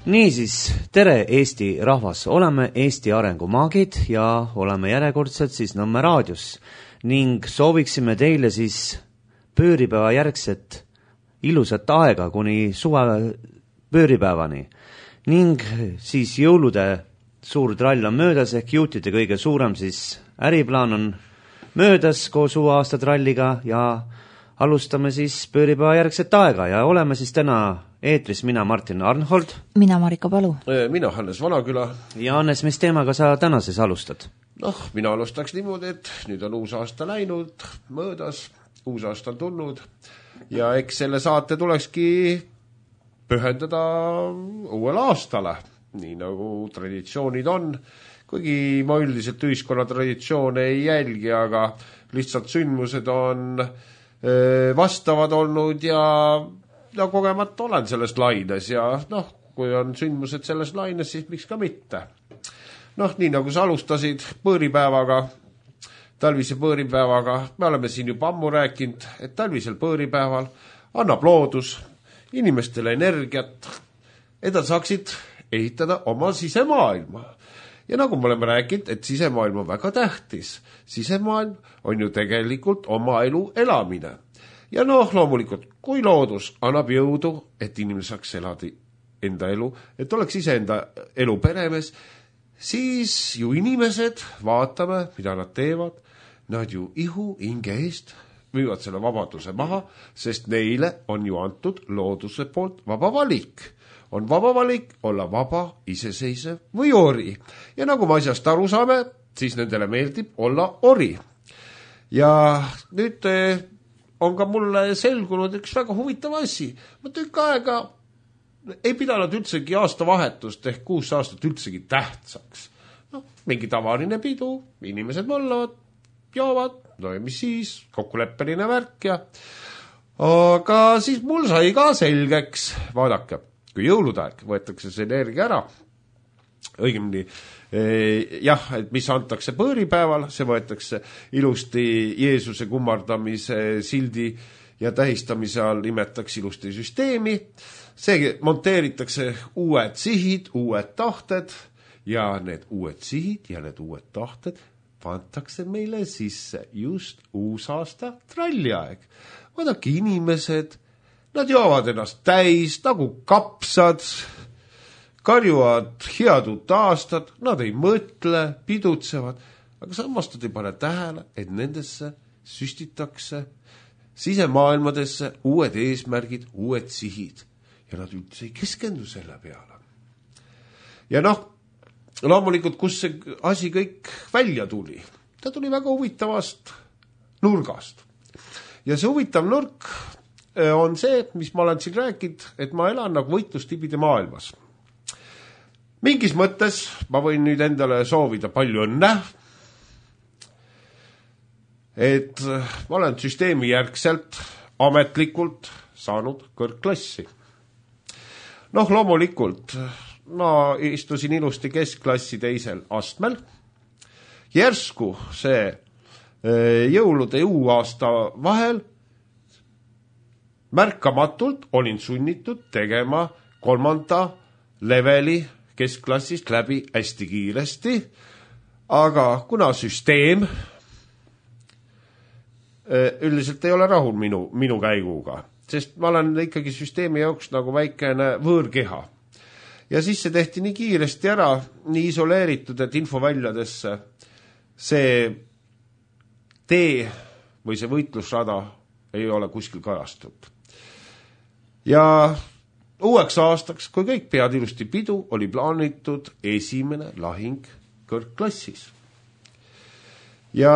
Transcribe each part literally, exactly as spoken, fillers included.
Niisiis, tere Eesti rahvas, oleme Eesti arengumaagid ja oleme järjekordselt siis Nõmme raadios ning sooviksime teile siis pööripäeva järgset ilusat aega kuni suve pööripäevani ning siis jõulude suur trall on möödas ehk juutide kõige suurem siis äriplaan on möödas koos uue aasta tralliga ja alustame siis pööripäeva järgset aega ja oleme siis täna eetris mina Martin Arnhold. Mina Marika Palu. Mina Hannes Vanaküla. Ja Hannes, mis teemaga sa tänases alustad? Noh, mina alustaks niimoodi, et nüüd on uus aasta läinud, möödas, uus aasta on tulnud ja eks selle saate tulekski pühendada uuele aastale, nii nagu traditsioonid on. Kuigi ma üldiselt ühiskonna traditsioone ei jälgi, aga lihtsalt sündmused on vastavad olnud ja ja kogemata olen selles laines ja noh, kui on sündmused selles laines, siis miks ka mitte. Noh, nii nagu sa alustasid põõripäevaga, talvise põõripäevaga, me oleme siin juba ammu rääkinud, et talvisel põõripäeval annab loodus inimestele energiat, et nad saaksid ehitada oma sisemaailma. Ja nagu me oleme rääkinud, et sisemaailm on väga tähtis. Sisemaailm on ju tegelikult oma elu elamine. Ja noh, loomulikult, kui loodus annab jõudu, et inimene saaks elada enda elu, et oleks ise enda elu peremees, siis ju inimesed, vaatame, mida nad teevad, nad ju ihu hinge eest müüvad selle vabaduse maha, sest neile on ju antud looduse poolt vaba valik. On vaba valik olla vaba, iseseisev või ori. Ja nagu me asjast aru saame, siis nendele meeldib olla ori. Ja nüüd on ka mulle selgunud üks väga huvitav asi. Ma tükk aega ei pidanud üldsegi aastavahetust ehk kuus aastat üldsegi tähtsaks. No, mingi tavaline pidu, inimesed mõllavad, joovad, no ja mis siis, kokkuleppeline värk ja aga siis mul sai ka selgeks, vaadake, kui jõuludaeg võetakse see energia ära, õigemini jah, et mis antakse põõripäeval, see võetakse ilusti Jeesuse kummardamise sildi ja tähistamise all nimetaks ilusti süsteemi. See monteeritakse uued sihid, uued tahted ja need uued sihid ja need uued tahted pantakse meile sisse just uusaasta tralliaeg. Vaadake, inimesed, nad joovad ennast täis nagu kapsad, karjuvad head uut aastat, nad ei mõtle, pidutsevad, aga samas nad ei pane tähele, et nendesse süstitakse sisemaailmadesse uued eesmärgid, uued sihid ja nad üldse ei keskendu selle peale. Ja noh, loomulikult, kus see asi kõik välja tuli? Ta tuli väga huvitavast nurgast. Ja see huvitav nurk on see, mis ma olen siin rääkinud, et ma elan nagu võitlustibide maailmas. Mingis mõttes ma võin nüüd endale soovida palju õnne, et ma olen süsteemi järgselt ametlikult saanud kõrgklassi. Noh, loomulikult, ma istusin ilusti keskklassi teisel astmel. Järsku see jõulude ja uue aasta vahel märkamatult olin sunnitud tegema kolmanda leveli keskklassist läbi hästi kiiresti, aga kuna süsteem üldiselt ei ole rahul minu, minu käiguga, sest ma olen ikkagi süsteemi jaoks nagu väikene võõrkeha. Ja siis see tehti nii kiiresti ära, nii isoleeritud, et infoväljadesse see tee või see võitlusrada ei ole kuskil kajastunud. Ja uueks aastaks, kui kõik pead ilusti pidu, oli plaanitud esimene lahing kõrgklassis. Ja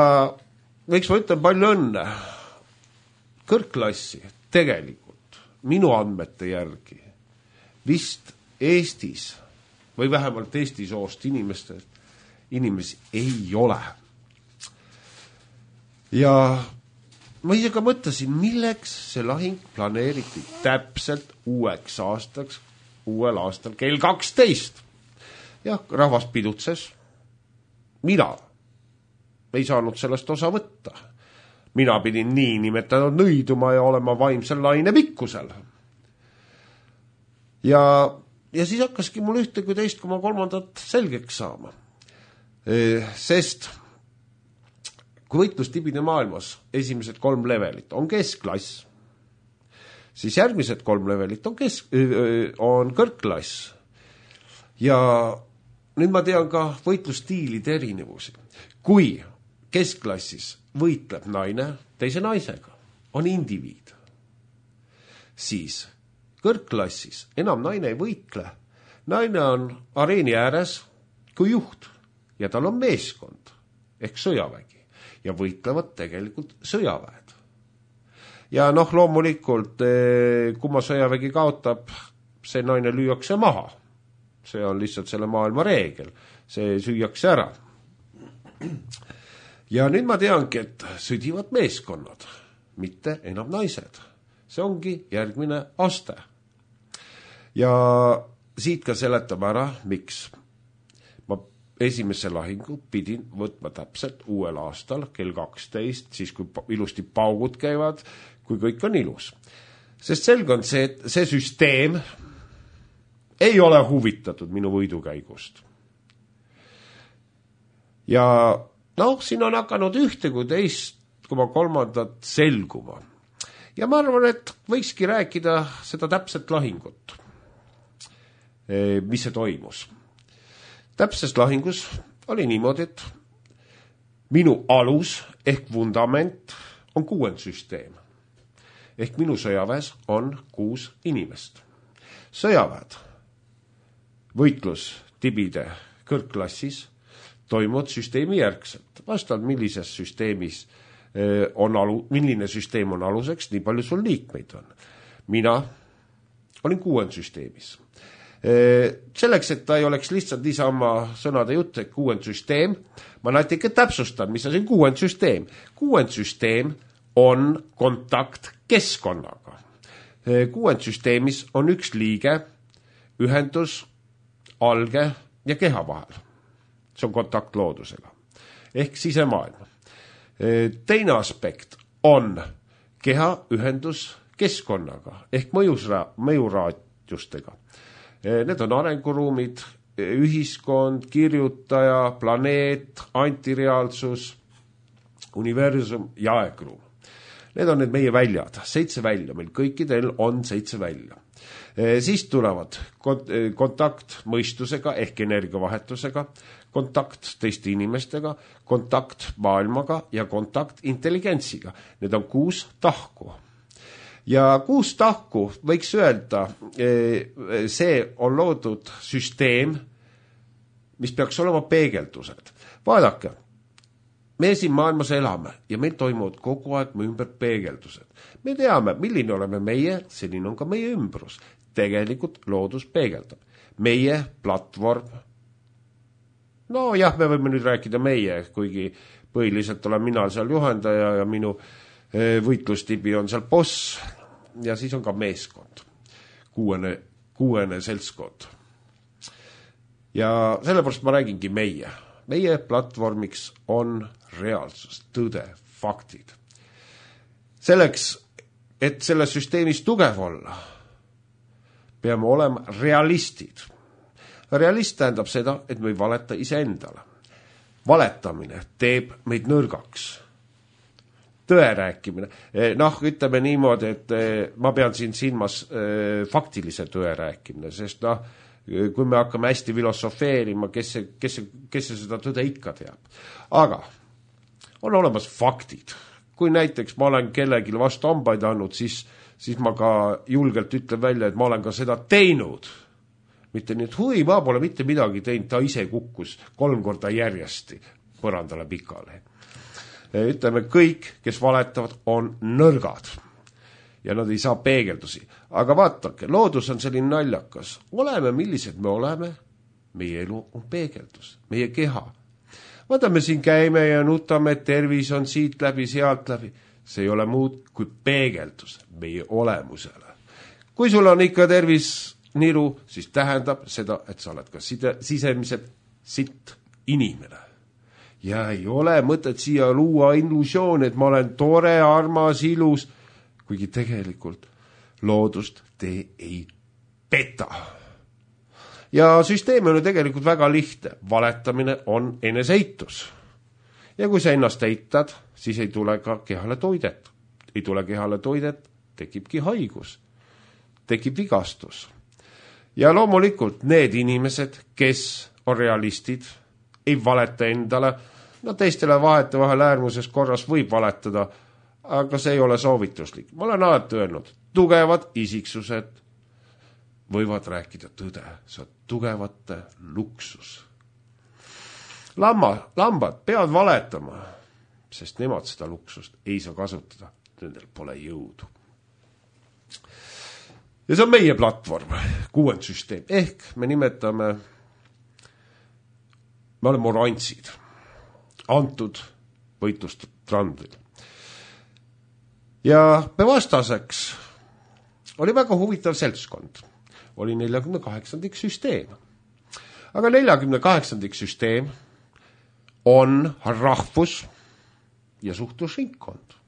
võiks ma ütlen palju õnne kõrgklassi tegelikult minu andmete järgi vist Eestis või vähemalt Eesti soost inimestel inimesi ei ole. Ja ma ise ka mõtlesin, milleks see lahing planeeriti täpselt uueks aastaks, uuel aastal kell kaksteist. Jah, rahvas pidutses. Mina ei saanud sellest osa võtta. Mina pidin nii nimetanud nõiduma ja olema vaimsel laine pikkusel. Ja ja siis hakkaski mul ühte kui teist koma kolmandat selgeks saama. Sest kui võitlustibide maailmas esimesed kolm levelit on keskklass, siis järgmised kolm levelit on, kesk, on kõrgklass. Ja nüüd ma tean ka võitlustiilide erinevusi. Kui keskklassis võitleb naine teise naisega, on indiviid, siis kõrgklassis enam naine ei võitle. Naine on areeni ääres kui juht ja tal on meeskond ehk sõjavägi ja võitlevad tegelikult sõjaväed. Ja noh, loomulikult, kui ma sõjavägi kaotab, see naine lüüakse maha. See on lihtsalt selle maailma reegel. See süüakse ära. Ja nüüd ma teangi, et sõdivad meeskonnad, mitte enam naised. See ongi järgmine aste. Ja siit ka seletame ära, miks. Ma esimese lahingu pidin võtma täpselt uuel aastal kell kaksteist, siis kui ilusti paugud käivad, kui kõik on ilus. Sest selge on see, et see süsteem ei ole huvitatud minu võidukäigust. Ja noh, siin on hakanud ühte kui teist koma kolmandat selguma. Ja ma arvan, et võikski rääkida seda täpset lahingut, mis see toimus. Täpses lahingus oli niimoodi, et minu alus ehk vundament on kuuendsüsteem. Ehk minu sõjaväes on kuus inimest. Sõjaväed, võitlus tibide kõrgklassis toimuvad süsteemi järgselt. Vastavalt millises süsteemis on alu, milline süsteem on aluseks, nii palju sul liikmeid on. Mina olin kuuendsüsteemis. Selleks, et ta ei oleks lihtsalt niisama sõnade jutt, et kuuendsüsteem, ma natuke täpsustan, mis on siin kuuendsüsteem. Kuuendsüsteem on kontakt keskkonnaga. Kuuendsüsteemis on üks liige, ühendus, alge ja keha vahel. See on kontakt loodusega. Ehk sisemaailma. Teine aspekt on keha ühendus keskkonnaga ehk mõjusra, mõjuraadjustega. Need on arenguruumid, ühiskond, kirjutaja, planeet, antireaalsus, universum ja aegruum. Need on need meie väljad, seitse välja, meil kõikidel on seitse välja. Siis tulevad kontakt mõistusega ehk energiavahetusega, kontakt teiste inimestega, kontakt maailmaga ja kontakt intelligentsiga. Need on kuus tahku. Ja kuus tahku võiks öelda, see on loodud süsteem, mis peaks olema peegeldused. Vaadake, me siin maailmas elame ja meil toimuvad kogu aeg me ümber peegeldused. Me teame, milline oleme meie, selline on ka meie ümbrus. Tegelikult loodus peegeldab. Meie platvorm, no jah, me võime nüüd rääkida meie, kuigi põhiliselt olen mina seal juhendaja ja minu võitlustibi on seal boss ja siis on ka meeskond, kuuene, kuuene seltskond. Ja sellepärast ma räägingi meie. Meie platvormiks on reaalsus, tõde, faktid. Selleks, et selles süsteemis tugev olla, peame olema realistid. Realist tähendab seda, et me ei valeta iseendale. Valetamine teeb meid nõrgaks. Tõe rääkimine. Noh, ütleme niimoodi, et ma pean siin silmas faktilise tõe rääkimine, sest noh, kui me hakkame hästi filosofeerima, kes see, kes see, kes see seda tõde ikka teab. Aga on olemas faktid. Kui näiteks ma olen kellelgi vastu hambaid andnud, siis, siis ma ka julgelt ütlen välja, et ma olen ka seda teinud. Mitte nii, et hui, ma pole mitte midagi teinud, ta ise kukkus kolm korda järjesti põrandale pikale. Ütleme, kõik, kes valetavad, on nõrgad. Ja nad ei saa peegeldusi. Aga vaatake, loodus on selline naljakas. Oleme, millised me oleme, meie elu on peegeldus, meie keha. Vaata, me siin käime ja nutame, et tervis on siit läbi, sealt läbi. See ei ole muud kui peegeldus meie olemusele. Kui sul on ikka tervis niru, siis tähendab seda, et sa oled ka side, sisemiselt sitt inimene. Ja ei ole mõtet siia luua illusioon, et ma olen tore, armas, ilus, kuigi tegelikult loodust te ei peta. ja süsteem on ju tegelikult väga lihtne. Valetamine on eneseitus. Ja kui sa ennast eitad, siis ei tule ka kehale toidet. Ei tule kehale toidet, tekibki haigus. Tekib vigastus. Ja loomulikult need inimesed, kes on realistid, ei valeta endale, no teistele vahete vahel äärmuses korras võib valetada, aga see ei ole soovituslik. Ma olen alati öelnud, tugevad isiksused võivad rääkida tõde, see on tugevate luksus. Lamma, lambad peavad valetama, sest nemad seda luksust ei saa kasutada, nendel pole jõudu. Ja see on meie platvorm, kuuendsüsteem, ehk me nimetame, me oleme oransid, antud võitlustrandil. Ja me vastaseks oli väga huvitav seltskond, oli neljakümne kaheksandik süsteem. Aga neljakümne kaheksandik süsteem on rahvus ja suhtlusringkond.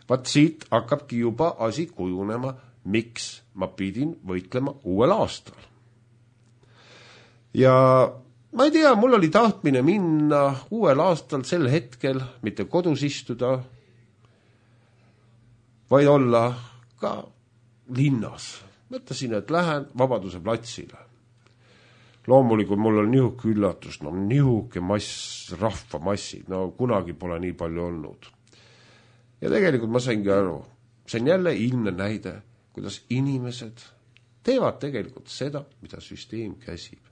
Vaat siit hakkabki juba asi kujunema, miks ma pidin võitlema uuel aastal. Ja ma ei tea, mul oli tahtmine minna uuel aastal sel hetkel, mitte kodus istuda, vaid olla ka linnas. Mõtlesin, et lähen Vabaduse platsile. Loomulikult mul on nihuke üllatus, no nihuke mass, rahvamassid, no kunagi pole nii palju olnud. Ja tegelikult ma saingi aru, see on jälle ilmne näide, kuidas inimesed teevad tegelikult seda, mida süsteem käsib.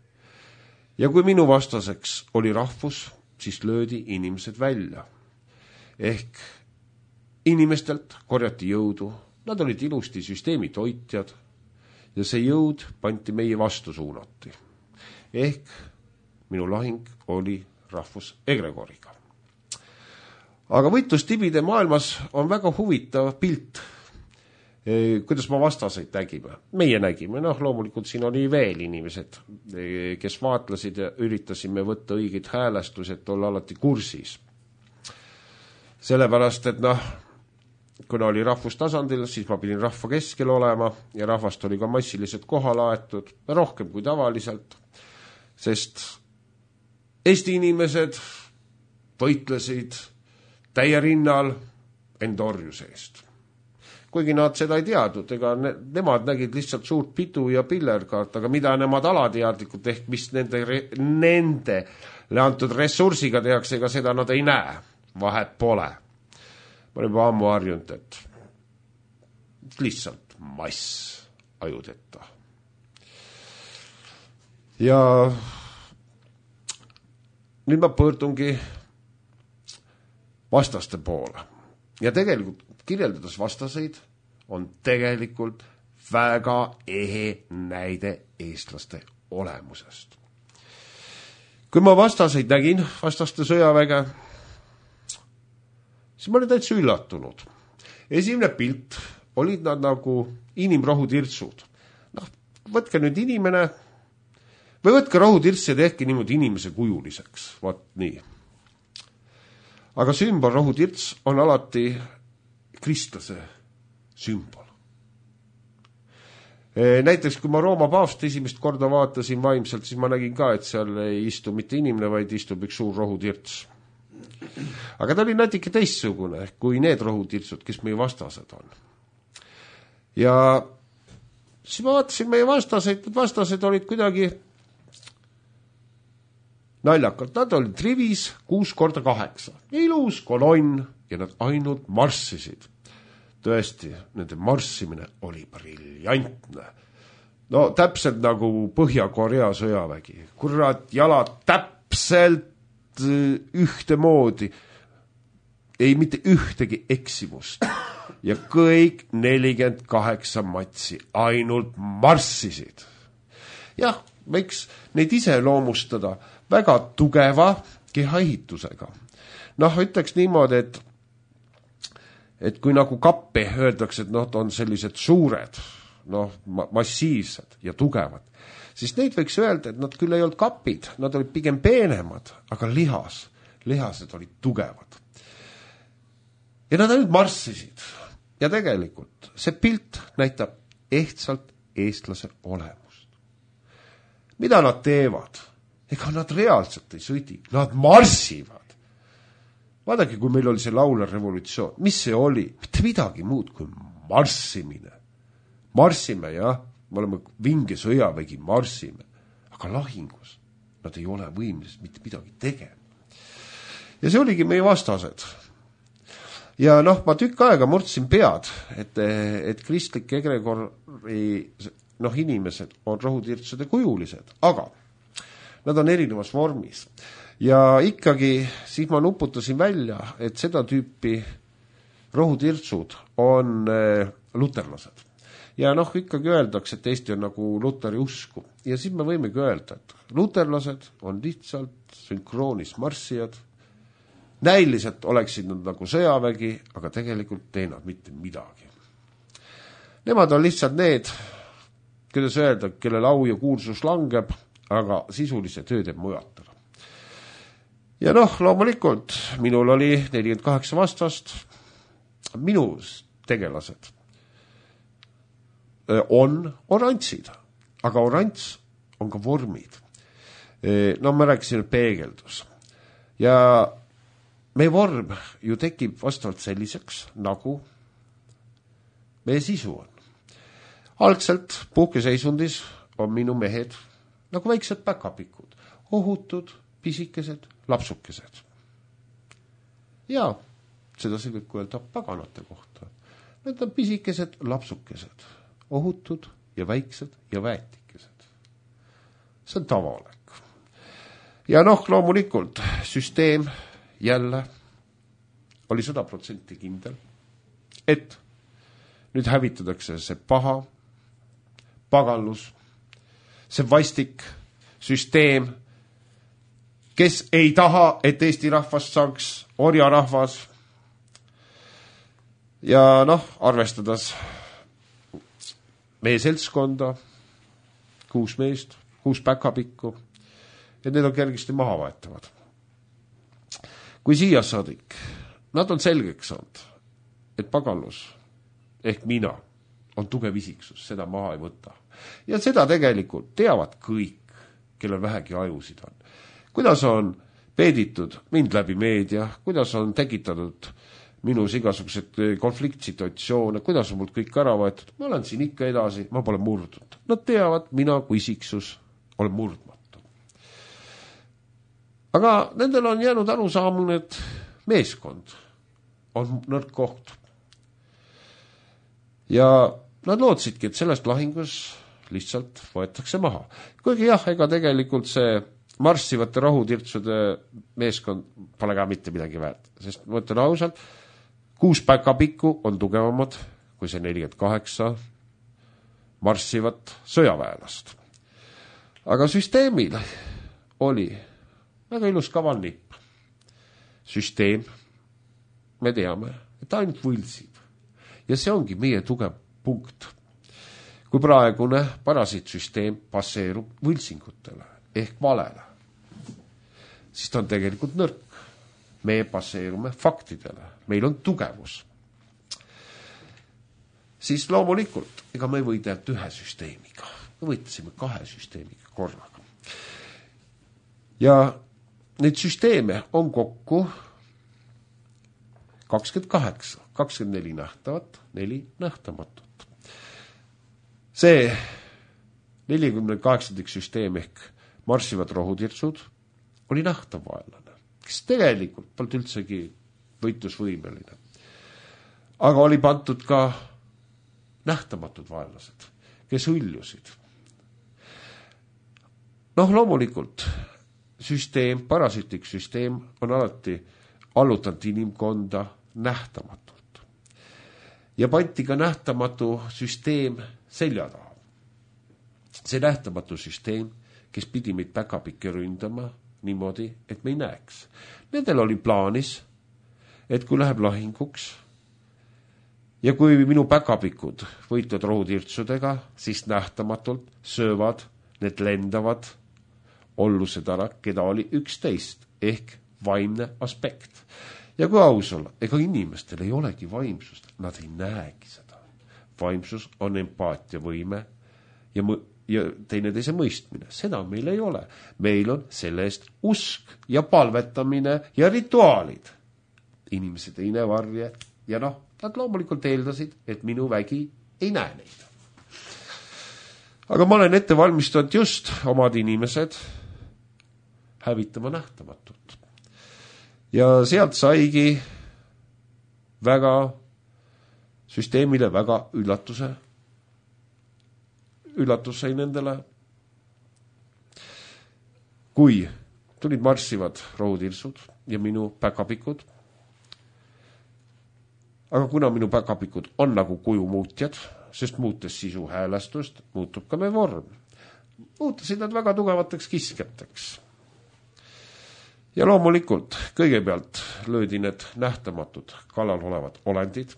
Ja kui minu vastaseks oli rahvus, siis löödi inimesed välja. Ehk inimestelt korjati jõudu, nad olid ilusti süsteemi toitjad ja see jõud panti meie vastu suunati. Ehk minu lahing oli rahvus egregoriga. Aga võitlustibide maailmas on väga huvitav pilt, kuidas ma vastaseid nägime. Meie nägime, noh loomulikult siin oli veel inimesed, kes vaatlesid ja üritasime võtta õiged häälestused, olla alati kursis. Sellepärast, et noh, kuna oli rahvustasandil, siis ma pidin rahva keskel olema ja rahvast oli ka massiliselt kohale aetud, rohkem kui tavaliselt, sest Eesti inimesed võitlesid täie rinnal endorjuse eest. Kuigi nad seda ei teadnud, ega ne, nemad nägid lihtsalt suurt pidu ja pillerkaart, aga mida nemad alateadlikud ehk mis nende, nendele antud ressursiga tehakse, ega seda nad ei näe, vahet pole. Ma olen juba ammu harjunud, et lihtsalt mass ajudeta. Ja nüüd ma pöördungi vastaste poole. Ja tegelikult kirjeldades vastaseid on tegelikult väga ehe näide eestlaste olemusest. Kui ma vastaseid nägin, vastaste sõjaväge, siis ma olin täitsa üllatunud. Esimene pilt olid nad nagu inimrohutirtsud. Noh, võtke nüüd inimene, või võtke rohutirts ja tehke niimoodi inimese kujuliseks. Vaat nii. Aga sümbol rohutirts on alati kristlase sümbol. Näiteks, kui ma Rooma paavst esimest korda vaatasin vaimselt, siis ma nägin ka, et seal ei istu mitte inimene, vaid istub üks suur rohutirts. Aga ta oli natuke teistsugune, kui need rohutirtsud, kes meie vastased on. Ja siis ma vaatasin meie vastaseid, et vastased olid kuidagi naljakalt. Nad olid rivis kuus korda kaheksa. Ilus kolonn ja nad ainult marssisid. Tõesti, nende marssimine oli briljantne. No täpselt nagu Põhja-Korea sõjavägi. Kurat, jalad täpselt ühte moodi. Ei mitte ühtegi eksimust. Ja kõik nelikümmend kaheksa matsi ainult marssisid. Jah, võiks neid ise loomustada väga tugeva kehaehitusega. Noh, ütleks niimoodi, et, et kui nagu kappe öeldakse, et noh, on sellised suured, noh, massiivsed ja tugevad, siis neid võiks öelda, et nad küll ei olnud kapid, nad olid pigem peenemad, aga lihas, lihased olid tugevad. Ja nad ainult marssisid. Ja tegelikult see pilt näitab ehtsalt eestlase olemust. mida nad teevad? Ega nad reaalselt ei sõdi, nad marssivad. Vaadake, kui meil oli see laulev revolutsioon, mis see oli? Mitte midagi muud kui marssimine. Marssime, jah, me oleme vinge sõjavägi, marssime, aga lahingus nad ei ole võimelised mitte midagi tegema. Ja see oligi meie vastased. Ja noh, ma tükk aega murdsin pead, et, et kristlik egregori noh, inimesed on rohutirtsude kujulised, aga nad on erinevas vormis. Ja ikkagi siis ma nuputasin välja, et seda tüüpi rohutirtsud on luterlased. Ja noh, ikkagi öeldakse, et Eesti on nagu luteri usku. Ja siis me võimegi öelda, et luterlased on lihtsalt sünkroonis marssijad. Näiliselt oleksid nad nagu sõjavägi, aga tegelikult ei nad mitte midagi. Nemad on lihtsalt need, kuidas öelda, kelle lau ja kuulsus langeb, aga sisulise töö teeb mujatele. Ja noh, loomulikult, minul oli nelikümmend kaheksa vastast, minu tegelased on orantsid, aga orants on ka vormid. No ma rääkisin peegeldus. Ja meie vorm ju tekib vastavalt selliseks, nagu meie sisu on. Algselt puhkeseisundis on minu mehed nagu väiksed päkapikud, ohutud, pisikesed, lapsukesed. Ja seda see võib öelda paganate kohta. Need on pisikesed, lapsukesed, ohutud ja väiksed ja väetikesed. See on tavalek. Ja noh, loomulikult süsteem jälle oli sada protsenti kindel, et nüüd hävitatakse see paha, paganlus, see vastik süsteem, kes ei taha, et Eesti rahvast saaks orjarahvas. Ja noh, arvestades meie seltskonda, kuus meest, kuus päkapikku, et need on kergesti maha vaetavad. Kui siia saadik, nad on selgeks saanud, et paganlus ehk mina on tugev isiksus, seda maha ei võta. Ja seda tegelikult teavad kõik, kellel vähegi ajusid on. Kuidas on peeditud mind läbi meedia, kuidas on tekitatud minus igasugused konfliktsituatsioone, kuidas on mult kõik ära võetud, ma olen siin ikka edasi, ma pole murdunud. Nad teavad, mina kui isiksus olen murdmatu. Aga nendel on jäänud arusaamune, et meeskond on nõrk koht. Ja nad lootsidki, et sellest lahingus lihtsalt võetakse maha. Kuigi jah, ega tegelikult see marssivate rahutirtsude meeskond pole ka mitte midagi väärt. Sest ma ütlen ausalt, kuus päkapikku on tugevamad kui see nelikümmend kaheksa marssivat sõjaväelast. Aga süsteemil oli väga ilus kaval nipp. Süsteem, me teame, et ainult võlsib. Ja see ongi meie tugev punkt. Kui praegune parasiitsüsteem passeerub võlsingutele ehk valele, siis ta on tegelikult nõrk. Me passeerume faktidele. Meil on tugevus. Siis loomulikult, ega me ei võidelnud ühe süsteemiga. Me võitlesime kahe süsteemiga korraga. Ja neid süsteeme on kokku kakskümmend kaheksa, kakskümmend neli nähtavat, neli nähtamatut. See nelikümmend kaheksandik süsteem ehk marssivad rohutirtsud oli nähtav vaenlane, kes tegelikult polnud üldsegi võitlusvõimeline. Aga oli pandud ka nähtamatud vaenlased, kes hõljusid. Noh, loomulikult süsteem, parasiitlik süsteem on alati allutanud inimkonda nähtamatult. Ja pandi ka nähtamatu süsteem selja taha. See nähtamatu süsteem, kes pidi meid päkapikke ründama niimoodi, et me ei näeks. Nendel oli plaanis, et kui läheb lahinguks ja kui minu päkapikud võitlevad rohutirtsudega, siis nähtamatult söövad, need lendavad ollused ära, keda oli üksteist ehk vaimne aspekt. Ja kui aus olla, ega inimestel ei olegi vaimsust, nad ei näegi seda. Vaimsus on empaatiavõime ja ja teineteise mõistmine. Seda meil ei ole. Meil on selle eest usk ja palvetamine ja rituaalid. Inimese teine varje ja noh, nad loomulikult eeldasid, et minu vägi ei näe neid. Aga ma olen ette valmistanud just omad inimesed hävitama nähtamatut. Ja sealt saigi väga süsteemile väga üllatuse. Üllatus sai nendele. Kui tulid marssivad rohutirsud ja minu päkapikud, aga kuna minu päkapikud on nagu kujumuutjad, sest muutes sisu häälestust, muutub ka me vorm. Muutusid nad väga tugevateks kiskjateks. Ja loomulikult kõigepealt löödi need nähtamatud kallal olevad olendid.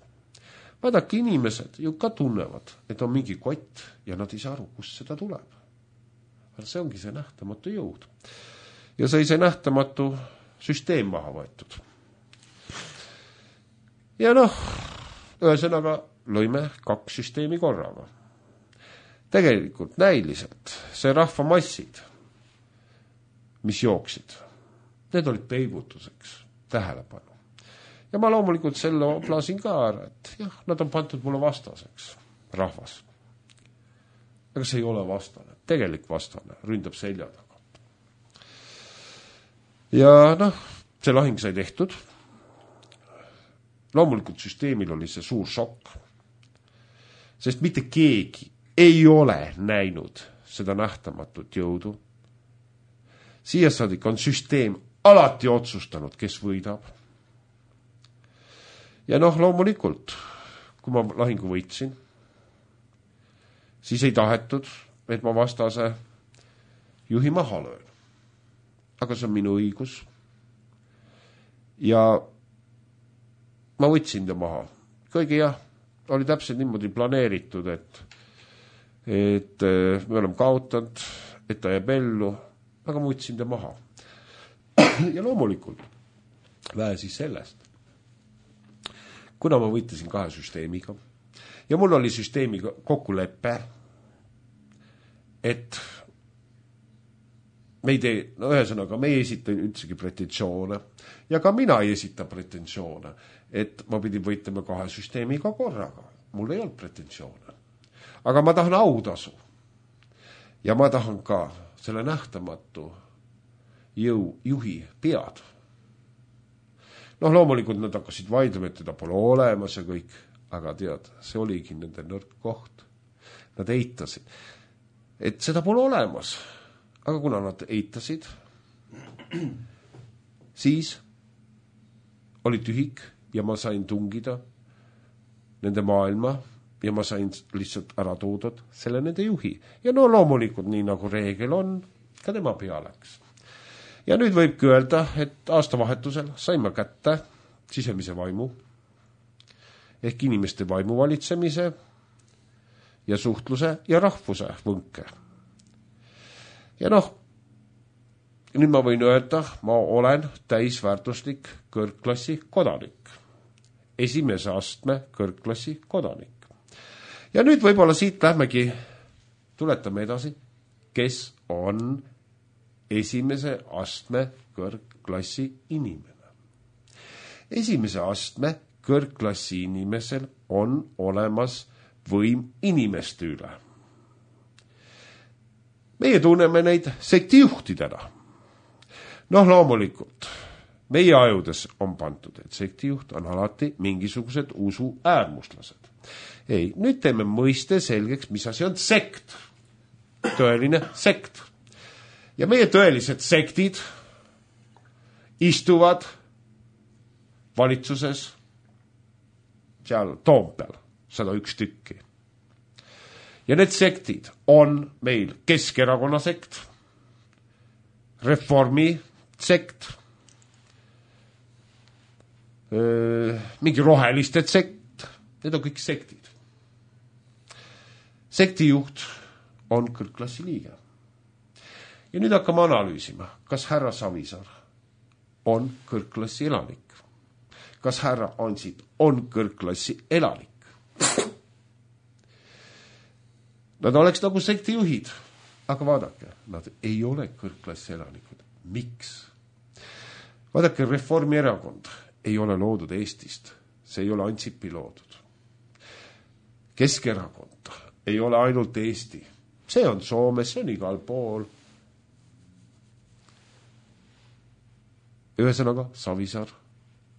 Vaadake, inimesed ju ka tunnevad, et on mingi kott ja nad ei saa aru, kust seda tuleb. Aga see ongi see nähtamatu jõud. Ja sai see nähtamatu süsteem maha võetud. Ja noh, ühesõnaga lõime kaks süsteemi korraga. Tegelikult näiliselt see rahvamassid, mis jooksid, need olid peibutuseks, tähelepanu. Ja ma loomulikult selle oplasin ka ära, et jah, nad on pandud mulle vastaseks, rahvas. Aga see ei ole vastane, tegelik vastane, ründab selja taga. Ja noh, see lahing sai tehtud. Loomulikult süsteemil oli see suur šokk, sest mitte keegi ei ole näinud seda nähtamatut jõudu. Siia saadik on süsteem alati otsustanud, kes võidab. Ja noh, loomulikult, kui ma lahingu võitsin, siis ei tahetud, et ma vastase juhi maha löön. Aga see on minu õigus. Ja ma võtsin ta maha. Kõige jah, oli täpselt niimoodi planeeritud, et, et me oleme kaotanud, et ta jääb ellu, aga ma võtsin ta maha. Ja loomulikult, vähe siis sellest. Kuna ma võitlesin kahe süsteemiga ja mul oli süsteemiga kokkulepe, et me ei tee, no ühesõnaga, me ei esita üldsegi pretensioone ja ka mina ei esita pretensioone, et ma pidin võitlema kahe süsteemiga korraga. Mul ei olnud pretensioone. Aga ma tahan autasu ja ma tahan ka selle nähtamatu jõu juhi pead. Noh, loomulikult nad hakkasid vaidlema, et teda pole olemas ja kõik, aga tead, see oligi nende nõrk koht. Nad eitasid, et seda pole olemas. Aga kuna nad eitasid, siis oli tühik ja ma sain tungida nende maailma ja ma sain lihtsalt ära toodud selle nende juhi. Ja no loomulikult, nii nagu reegel on, ka tema pea läks. Ja nüüd võibki öelda, et aastavahetusel sain ma kätte sisemise vaimu ehk inimeste vaimu valitsemise ja suhtluse ja rahvuse võnke. Ja noh, nüüd ma võin öelda, ma olen täisväärtuslik kõrgklassi kodanik. Esimese astme kõrgklassi kodanik. Ja nüüd võib-olla siit lähmegi, tuletame edasi, kes on esimese astme kõrgklassi inimene. Esimese astme kõrgklassi inimesel on olemas võim inimeste üle. Meie tunneme neid sektijuhtidena. Noh, loomulikult, meie ajudes on pandud, et sektijuht on alati mingisugused usu äärmuslased. Ei, nüüd teeme mõiste selgeks, mis asi on sekt. Tõeline sekt. Ja meie tõelised sektid istuvad valitsuses seal Toompeal, sada üks tükki. Ja need sektid on meil Keskerakonna sekt, Reformi sekt, öö, mingi roheliste sekt, need on kõik sektid. Sektijuht on kõrgklassi liige. Ja nüüd hakkame analüüsima, kas härra Savisaar on kõrgklassi elanik. Kas härra Ansip on kõrgklassi elanik. Nad oleks nagu sektijuhid, aga vaadake, nad ei ole kõrgklassi elanikud. Miks? Vaadake, Reformierakond ei ole loodud Eestist, see ei ole Ansipi loodud. Keskerakond ei ole ainult Eesti, see on Soomes, see on igal pool. Ühesõnaga, Savisaar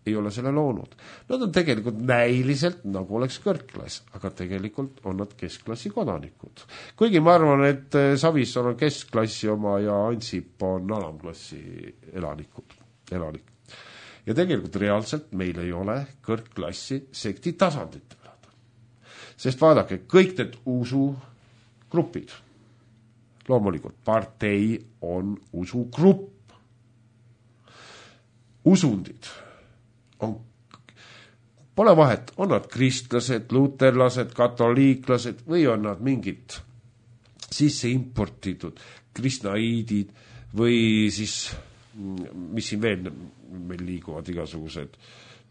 ei ole selle loonud. Nad on tegelikult näiliselt nagu oleks kõrgklass, aga tegelikult on nad keskklassi kodanikud. Kuigi ma arvan, et Savisaar on keskklassi oma ja Ansip on alamklassi elanikud, elanik. Ja tegelikult reaalselt meil ei ole kõrgklassi sekti tasanditel. Sest vaadake, kõik need usugrupid, loomulikult partei on usugrupp. Usundid on, pole vahet, on nad kristlased, luterlased, katoliiklased või on nad mingid sisse importitud kristnaiidid või siis, mis siin veel meil liiguvad igasugused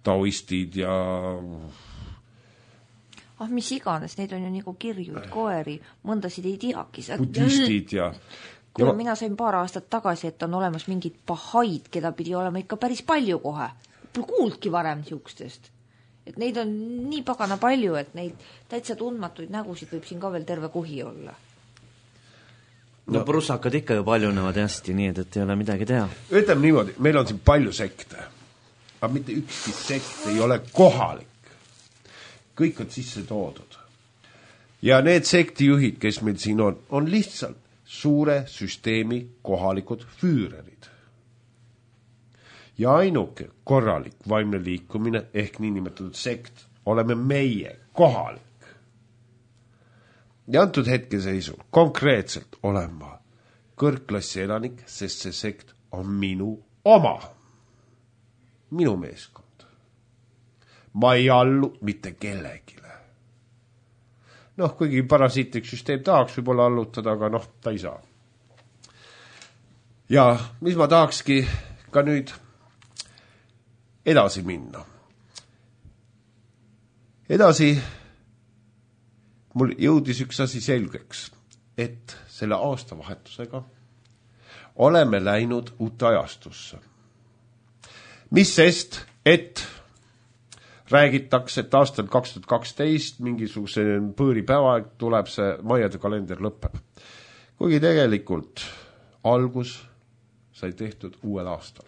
taoistid ja ah, mis iganes, neid on ju nagu kirjuid, koeri, mõndasid ei teagi. Budistid ja Kuule, mina sain paar aastat tagasi, et on olemas mingid pahaid, keda pidi olema ikka päris palju kohe. Pole kuuldki varem siukstest. Et neid on nii pagana palju, et neid täitsa tundmatuid nägusid võib siin ka veel terve kuhi olla. No, no prussakad ikka ju paljunevad hästi, nii et, et ei ole midagi teha. Ütleme niimoodi, meil on siin palju sekte, aga mitte ükski sekt ei ole kohalik. Kõik on sisse toodud. Ja need sektijuhid, kes meil siin on, on lihtsalt suure süsteemi kohalikud füürerid. Ja ainuke korralik vaimne liikumine ehk niinimetatud sekt oleme meie kohalik. Ja antud hetkeseisul konkreetselt olen ma kõrgklassi elanik, sest see sekt on minu oma. Minu meeskond. Ma ei allu mitte kellegile. Noh, kuigi parasiitlik süsteem tahaks võib-olla allutada, aga noh, ta ei saa. Ja mis ma tahakski ka nüüd edasi minna. Edasi mul jõudis üks asi selgeks, et selle aastavahetusega oleme läinud uute ajastusse. Mis sest, et räägitakse, et aastal kaks tuhat kaksteist mingisuguse põõripäevaeg tuleb see maiade kalender lõpeb. Kuigi tegelikult algus sai tehtud uuel aastal.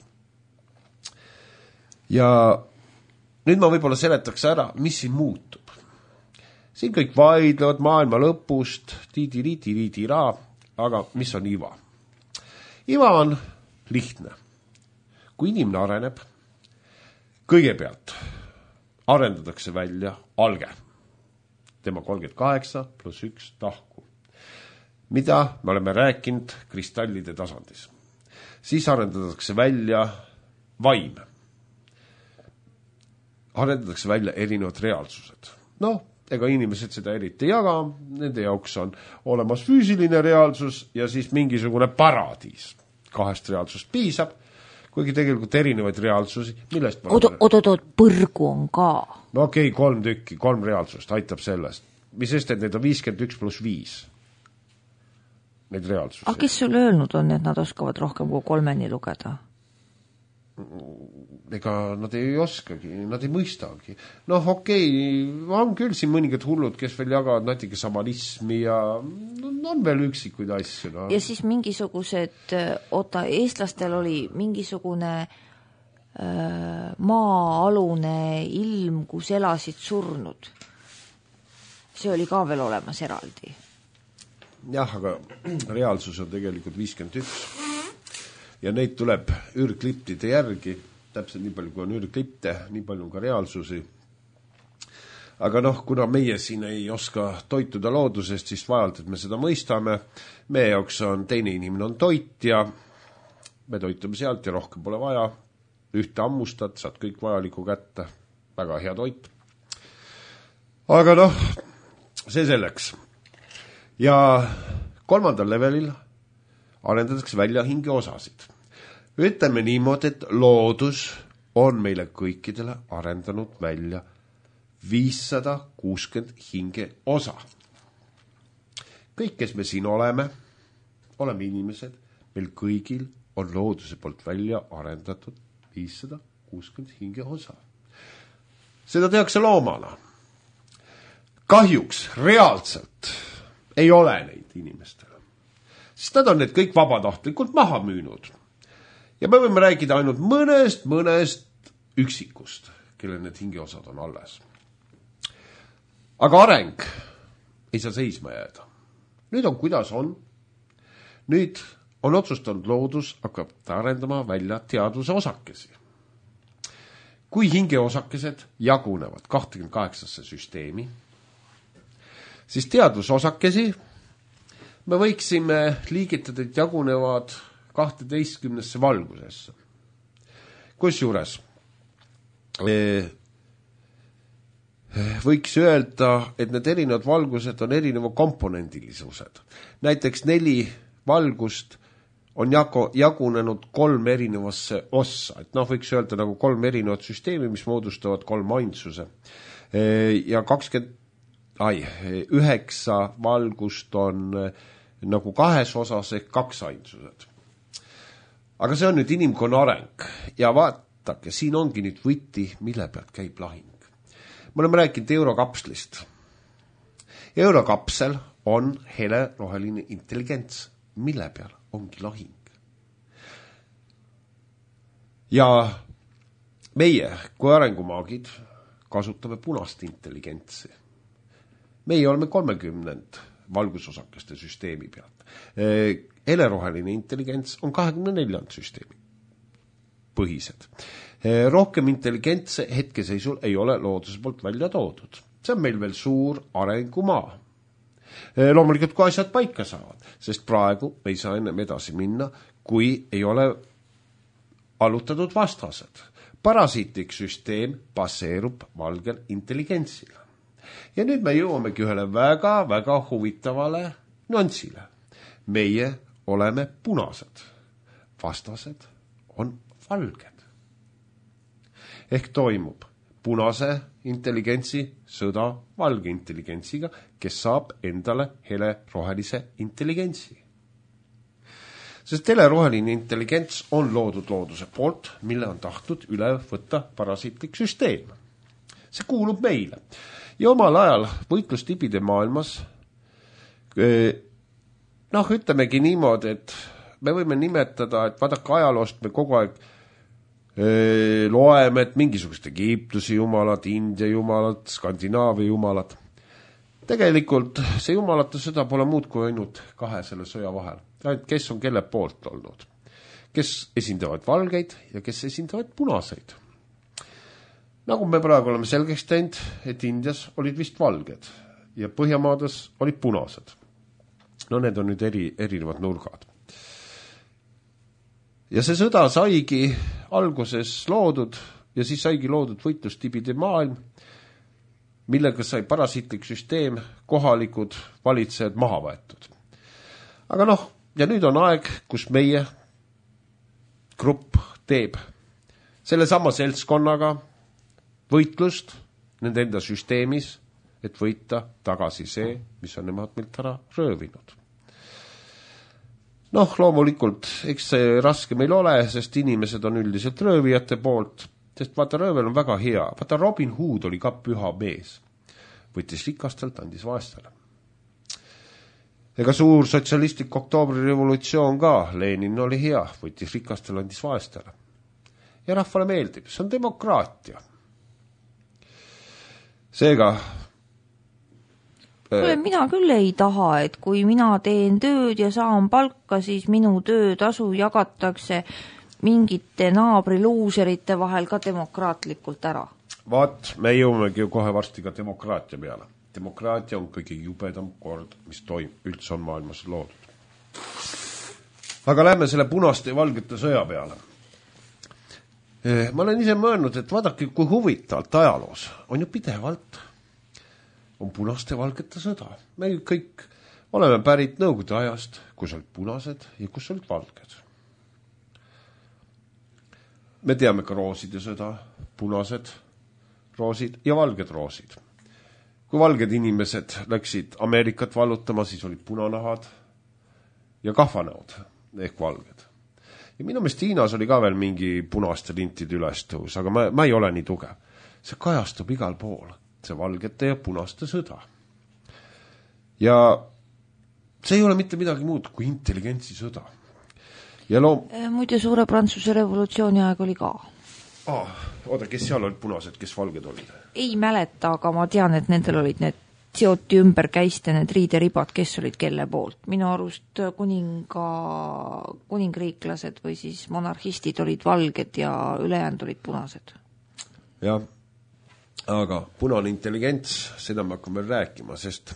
Ja nüüd ma võib-olla seletaks ära, mis siin muutub. Siin kõik vaidlevad maailma lõpust, tiidi-riidi-riidi-ra, aga mis on iva? Iva on lihtne. Kui inimene areneb, kõigepealt arendatakse välja alge. Tema kolmkümmend kaheksa pluss üks tahku. Mida me oleme rääkinud kristallide tasandis. Siis arendatakse välja vaim. Arendatakse välja erinevad reaalsused. Noh, ega inimesed seda eriti ei jaga, nende jaoks on olemas füüsiline reaalsus ja siis mingisugune paradiis. Kahest reaalsust piisab, kuigi tegelikult erinevaid reaalsusi, millest ma... Oot, oot, oot, põrgu on ka. No okei, okay, kolm tükki, kolm reaalsust, aitab sellest. Mis sest, et need on viiskümmend üks pluss viis. Need reaalsusi. Ah, kes sul öelnud on, et nad oskavad rohkem kui kolmeni lugeda? Ega nad ei oskagi, nad ei mõistagi. Noh, okei, okay, on küll siin mõningad hullud, kes veel jagavad natuke samanismi ja no, on veel üksikuid asju. No. Ja siis mingisugused, oota, eestlastel oli mingisugune äh, maa-alune ilm, kus elasid surnud. See oli ka veel olemas eraldi. Jah, aga reaalsus on tegelikult viiskümmend üks. Ja neid tuleb ürgkliptide järgi, täpselt nii palju kui on ürgklipte, nii palju on ka reaalsusi. Aga noh, kuna meie siin ei oska toituda loodusest, siis vajalt, et me seda mõistame. Meie jaoks on teine inimene on toit ja me toitume sealt ja rohkem pole vaja. Ühte ammustad, saad kõik vajaliku kätte. Väga hea toit. Aga noh, see selleks. Ja kolmandal levelil arendatakse välja hingeosasid. Ütleme niimoodi, et loodus on meile kõikidele arendanud välja viissada kuuskümmend hingeosa. kõik, kes me siin oleme, oleme inimesed, meil kõigil on looduse poolt välja arendatud viissada kuuskümmend hingeosa. Seda tehakse loomana. Kahjuks reaalselt ei ole neid inimestele. Sest nad on need kõik vabatahtlikult maha müünud. Ja me võime rääkida ainult mõnest, mõnest üksikust, kelle need hingeosad on alles. Aga areng ei saa seisma jääda. Nüüd on kuidas on. Nüüd on otsustanud loodus hakkab arendama välja teaduse osakesi. Kui hingeosakesed jagunevad kakskümmend kaheksasse süsteemi, siis teadusosakesi me võiksime liigitada, et jagunevad kaheteistkümnesse valgusesse. Kusjuures võiks öelda, et need erinevad valgused on erineva komponendilisused. Näiteks neli valgust on jagu, jagunenud kolm erinevasse ossa. Et noh, võiks öelda nagu kolm erinevat süsteemi, mis moodustavad kolm ainsuse. Ja kakskümmend, ai, üheksa valgust on nagu kahes osas ehk kaks ainsused. Aga see on nüüd inimkonna areng. Ja vaatake, siin ongi nüüd võti, mille pealt käib lahing. Me oleme rääkinud eurokapslist. Eurokapsel on hele roheline intelligents, mille peal ongi lahing. Ja meie kui arengumaagid kasutame punast intelligentsi. Meie oleme kolmekümnend valgusosakeste süsteemi pealt. Heleroheline intelligents on kahekümne neljand süsteemi põhised. Rohkem intelligentse hetkeseisul ei ole looduse poolt välja toodud. See on meil veel suur arengumaa. Loomulikult, kui asjad paika saavad, sest praegu me ei saa ennem edasi minna, kui ei ole allutatud vastased. Parasiitlik süsteem baseerub valgel intelligentsile. Ja nüüd me jõuamegi ühele väga, väga huvitavale nüansile. Meie oleme punased. Vastased on valged. Ehk toimub punase intelligentsi sõda valge intelligentsiga, kes saab endale hele rohelise intelligentsi. Sest hele roheline intelligents on loodud looduse poolt, mille on tahtnud üle võtta parasiitlik süsteem. See kuulub meile. Ja omal ajal võitlustibide maailmas, noh, ütlemegi niimoodi, et me võime nimetada, et vaadake ajaloost me kogu aeg öö, loeme, et mingisugust Egiptuse jumalad, India jumalad, Skandinaavia jumalad. Tegelikult see jumalate sõda pole muud kui ainult kahe selle sõja vahel. Kes on kelle poolt olnud? Kes esindavad valgeid ja kes esindavad punaseid? Nagu me praegu oleme selgeks teinud, et Indias olid vist valged ja Põhjamaades olid punased. No need on nüüd eri, erinevad nurgad. Ja see sõda saigi alguses loodud ja siis saigi loodud võitlustibide maailm, millega sai parasiitlik süsteem, kohalikud valitsejad maha võetud. Aga noh, ja nüüd on aeg, kus meie grupp teeb selle sama seltskonnaga võitlust nende enda süsteemis, et võita tagasi see, mis on nemad meilt ära röövinud. Noh, loomulikult, eks see raske meil ole, sest inimesed on üldiselt röövijate poolt, sest vaata, röövel on väga hea. Vaata, Robin Hood oli ka püha mees. Võttis rikastelt, andis vaestele. Ega suur sotsialistlik oktoobri revolutsioon ka, Lenin oli hea, võttis rikastele, andis vaestele. Ja rahvale meeldib, see on demokraatia. Seega Kule, mina küll ei taha, et kui mina teen tööd ja saan palka, siis minu töötasu jagatakse mingite naabriluuserite vahel ka demokraatlikult ära. Vaat, me jõumegi ju kohe varsti ka demokraatia peale. Demokraatia on kõige jubedam kord, mis toim, üldse on maailmas loodud. Aga lähme selle punaste ja valgete sõja peale. Ma olen ise mõelnud, et vaadake, kui huvitavalt ajaloos on ju pidevalt on punaste ja valgete sõda. Me kõik oleme pärit Nõukogude ajast, kus olid punased ja kus olid valged. Me teame ka rooside sõda, punased roosid ja valged roosid. kui valged inimesed läksid Ameerikat vallutama, siis olid punanahad ja kahvanäod ehk valged. Ja minu meelest Hiinas oli ka veel mingi punaste lintide ülestõus, aga ma, ma ei ole nii tugev. See kajastub igal pool, see valgete ja punaste sõda. Ja see ei ole mitte midagi muud kui intelligentsi sõda. Ja loom... Muide, suure Prantsuse revolutsiooni aeg oli ka. Ah, oota, kes seal olid punased, kes valged olid? Ei mäleta, aga ma tean, et nendel olid need seoti ümber käiste need riideribad, kes olid kelle poolt. Minu arust kuninga, kuningriiklased või siis monarhistid olid valged ja ülejäänud olid punased. Jah, aga punane intelligents, seda me hakkame rääkima, sest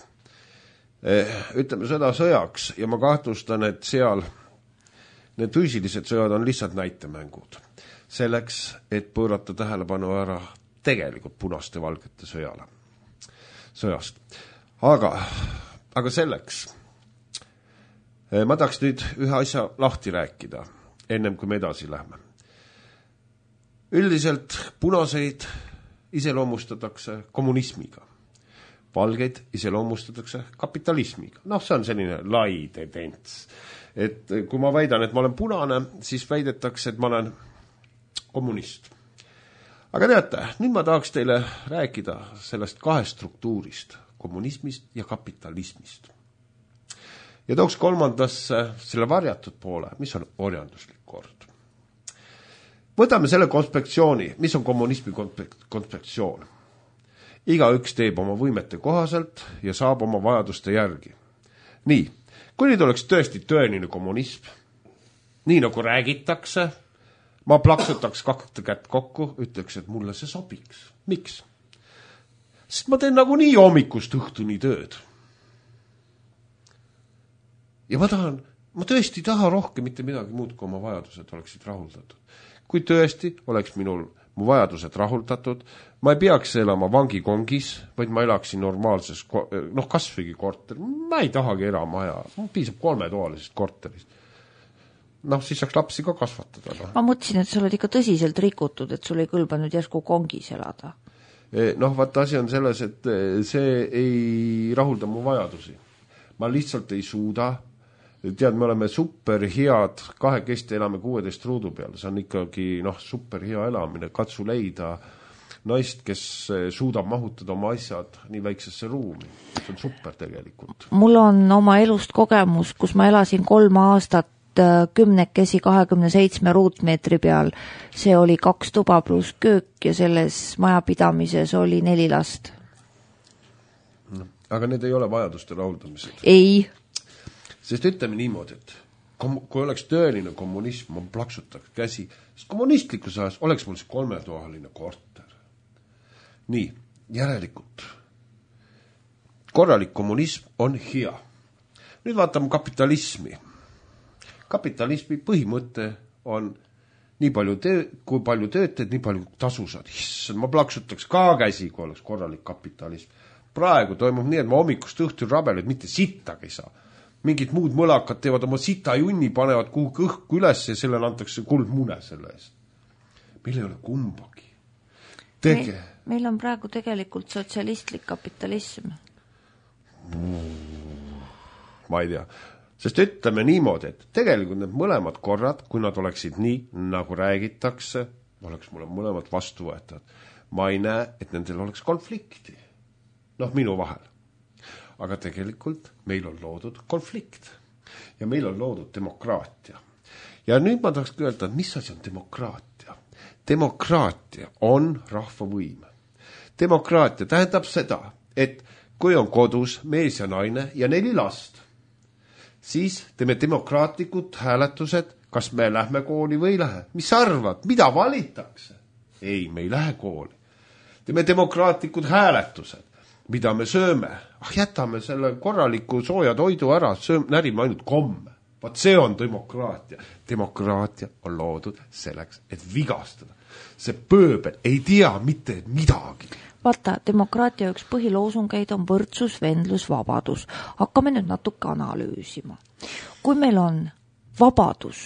eh, ütleme sõda sõjaks ja ma kahtlustan, et seal need füüsilised sõjad on lihtsalt näitemängud. Selleks, et pöörata tähelepanu ära tegelikult punaste valgete sõjale. Sõjast. Aga, aga selleks ma tahaks nüüd ühe asja lahti rääkida, ennem kui me edasi lähme. Üldiselt punaseid iseloomustatakse kommunismiga. Valgeid iseloomustatakse kapitalismiga. Noh, see on selline lai tendents. Et kui ma väidan, et ma olen punane, siis väidetakse, et ma olen kommunist. Aga teate, nüüd ma tahaks teile rääkida sellest kahest struktuurist, kommunismist ja kapitalismist. Ja tooks kolmandasse selle varjatud poole, mis on orjanduslik kord. Võtame selle konspektsiooni, mis on kommunismi konspektsioon. Igaüks teeb oma võimete kohaselt ja saab oma vajaduste järgi. Nii, kui nüüd oleks tõesti tõeline kommunism, nii nagu räägitakse, ma plaksutaks kaks kätt kokku, ütleks, et mulle see sobiks. Miks? Sest ma teen nagu nii hommikust õhtuni tööd. Ja ma tahan, ma tõesti taha rohkem mitte midagi muud, kui oma vajadused oleksid rahuldatud. Kui tõesti oleks minul mu vajadused rahuldatud, ma ei peaks elama vangikongis, vaid ma elaksin normaalses, noh, kasvõigi korter. Ma ei tahagi elamaja, piisab kolmetoalisest korterist. Noh, siis saaks lapsi ka kasvatada. No. Ma mõtlesin, et sa oled ikka tõsiselt rikutud, et sul ei kõlba nüüd järsku kongis elada. Noh, vaata asi on selles, et see ei rahulda mu vajadusi. Ma lihtsalt ei suuda. Tead, me oleme super head, kahekesti elame kuueteist ruudu peal. See on ikkagi noh, super hea elamine. Katsu leida naist, kes suudab mahutada oma asjad nii väiksesse ruumi. See on super tegelikult. Mul on oma elust kogemus, kus ma elasin kolm aastat kümnekesi kahekümne seitsme ruutmeetri peal. See oli kaks tuba pluss köök ja selles majapidamises oli neli last. Aga need ei ole vajaduste rahuldamised. Ei. Sest ütleme niimoodi, et kui oleks tõeline kommunism, ma plaksutaks käsi, sest kommunistlikus ajas oleks mul see kolmetoaline korter. Nii, järelikult. Korralik kommunism on hea. Nüüd vaatame kapitalismi. Kapitalismi põhimõte on nii palju töö, kui palju töötad, nii palju tasu saad. Issand, ma plaksutaks ka käsi, kui oleks korralik kapitalism. Praegu toimub nii, et ma hommikust õhtul rabeled, mitte sittagi ei saa. Mingid muud mõlakad teevad oma sita junni, panevad kuhugi õhku üles ja sellele antakse kuldmune selle eest. Meil ei ole kumbagi. Tege. Me, meil on praegu tegelikult sotsialistlik kapitalism. Ma ei tea. Sest ütleme niimoodi, et tegelikult need mõlemad korrad, kui nad oleksid nii, nagu räägitakse, oleks mulle mõlemad vastu võetavad. Ma ei näe, et nendel oleks konflikti. Noh, minu vahel. Aga tegelikult meil on loodud konflikt ja meil on loodud demokraatia. Ja nüüd ma tahaks öelda, et mis asi on demokraatia? Demokraatia on rahvavõim. Demokraatia tähendab seda, et kui on kodus mees ja naine ja neli last, siis teeme demokraatlikud hääletused, kas me lähme kooli või ei lähe. Mis arvad, mida valitakse? Ei, me ei lähe kooli. Teeme demokraatlikud hääletused. Mida me sööme? Ah, jätame selle korraliku sooja toidu ära, sööme, närime ainult komme. Vaat see on demokraatia. Demokraatia on loodud selleks, et vigastada. See pööbel ei tea mitte midagi. Vaata, demokraatia üks põhiloosungeid on võrdsus, vendlus, vabadus. Hakkame nüüd natuke analüüsima. Kui meil on vabadus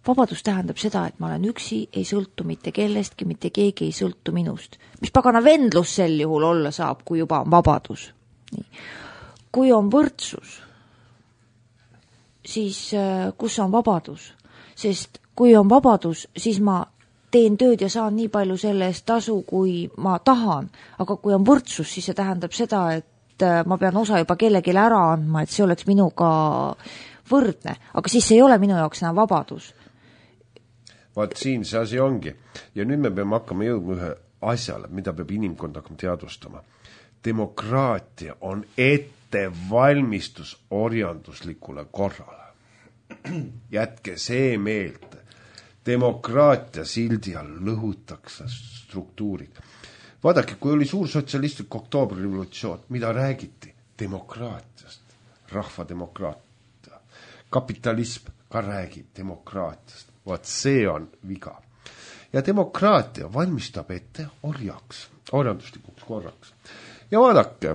vabadus tähendab seda, et ma olen üksi, ei sõltu mitte kellestki, mitte keegi ei sõltu minust. Mis pagana vendlus sel juhul olla saab, kui juba on vabadus. Nii. Kui on võrdsus, siis kus on vabadus? Sest kui on vabadus, siis ma teen tööd ja saan nii palju selle eest tasu, kui ma tahan. Aga kui on võrdsus, siis see tähendab seda, et ma pean osa juba kellegile ära andma, et see oleks minuga võrdne. Aga siis ei ole minu jaoks enam vabadus. Vaat siin see asi ongi. Ja nüüd me peame hakkama jõudma ühe asjale, mida peab inimkond hakkama teadvustama. Demokraatia on ettevalmistus orjanduslikule korrale. Jätke see meelde. Demokraatia sildi all lõhutakse struktuurid. Vaadake, kui oli suur sotsialistlik oktoobrirevolutsioon, mida räägiti? Demokraatiast, rahvademokraatia. Kapitalism ka räägib demokraatiast. Vaat see on viga. Ja demokraatia valmistab ette orjaks, orjanduslikuks korraks. Ja vaadake,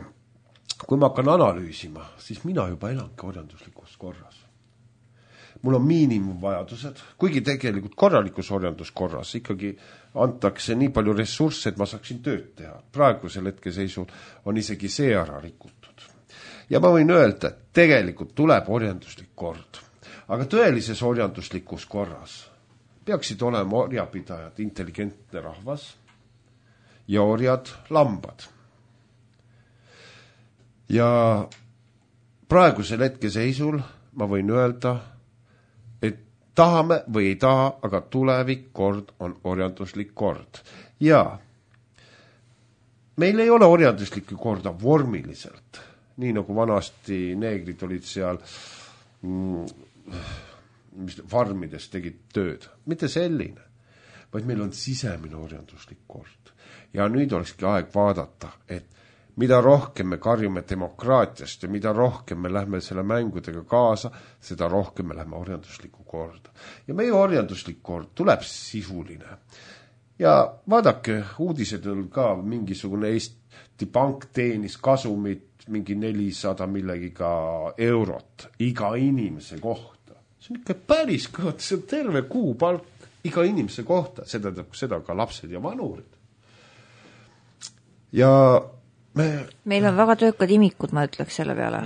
kui ma hakkan analüüsima, siis mina juba elangi orjanduslikus korras. Mul on miinimumvajadused, kuigi tegelikult korralikus orjanduskorras ikkagi antakse nii palju ressursse, et ma saaksin tööd teha. Praegusel hetkeseisul on isegi see ära rikutud. Ja ma võin öelda, et tegelikult tuleb orjanduslik kord. Aga tõelises orjanduslikus korras peaksid olema orjapidajad intelligentne rahvas ja orjad lambad. Ja praegusel hetkeseisul ma võin öelda, et tahame või ei taha, aga tulevik kord on orjanduslik kord. Ja meil ei ole orjanduslikku korda vormiliselt, nii nagu vanasti neegrid olid seal mm, mis farmides tegid tööd. Mitte selline, vaid meil on sisemine orjanduslik kord. Ja nüüd olekski aeg vaadata, et mida rohkem me karjume demokraatiast ja mida rohkem me lähme selle mängudega kaasa, seda rohkem me lähme orjanduslikku korda. Ja meie orjanduslik kord tuleb sisuline. Ja vaadake, uudised on ka mingisugune Eesti Pank teenis kasumit mingi nelisada millegiga eurot iga inimese kohta. See on ikka päris kõht, see on terve kuu palk iga inimese kohta, seda, seda ka lapsed ja vanurid. Ja me... meil on väga töökad imikud, ma ütleks selle peale.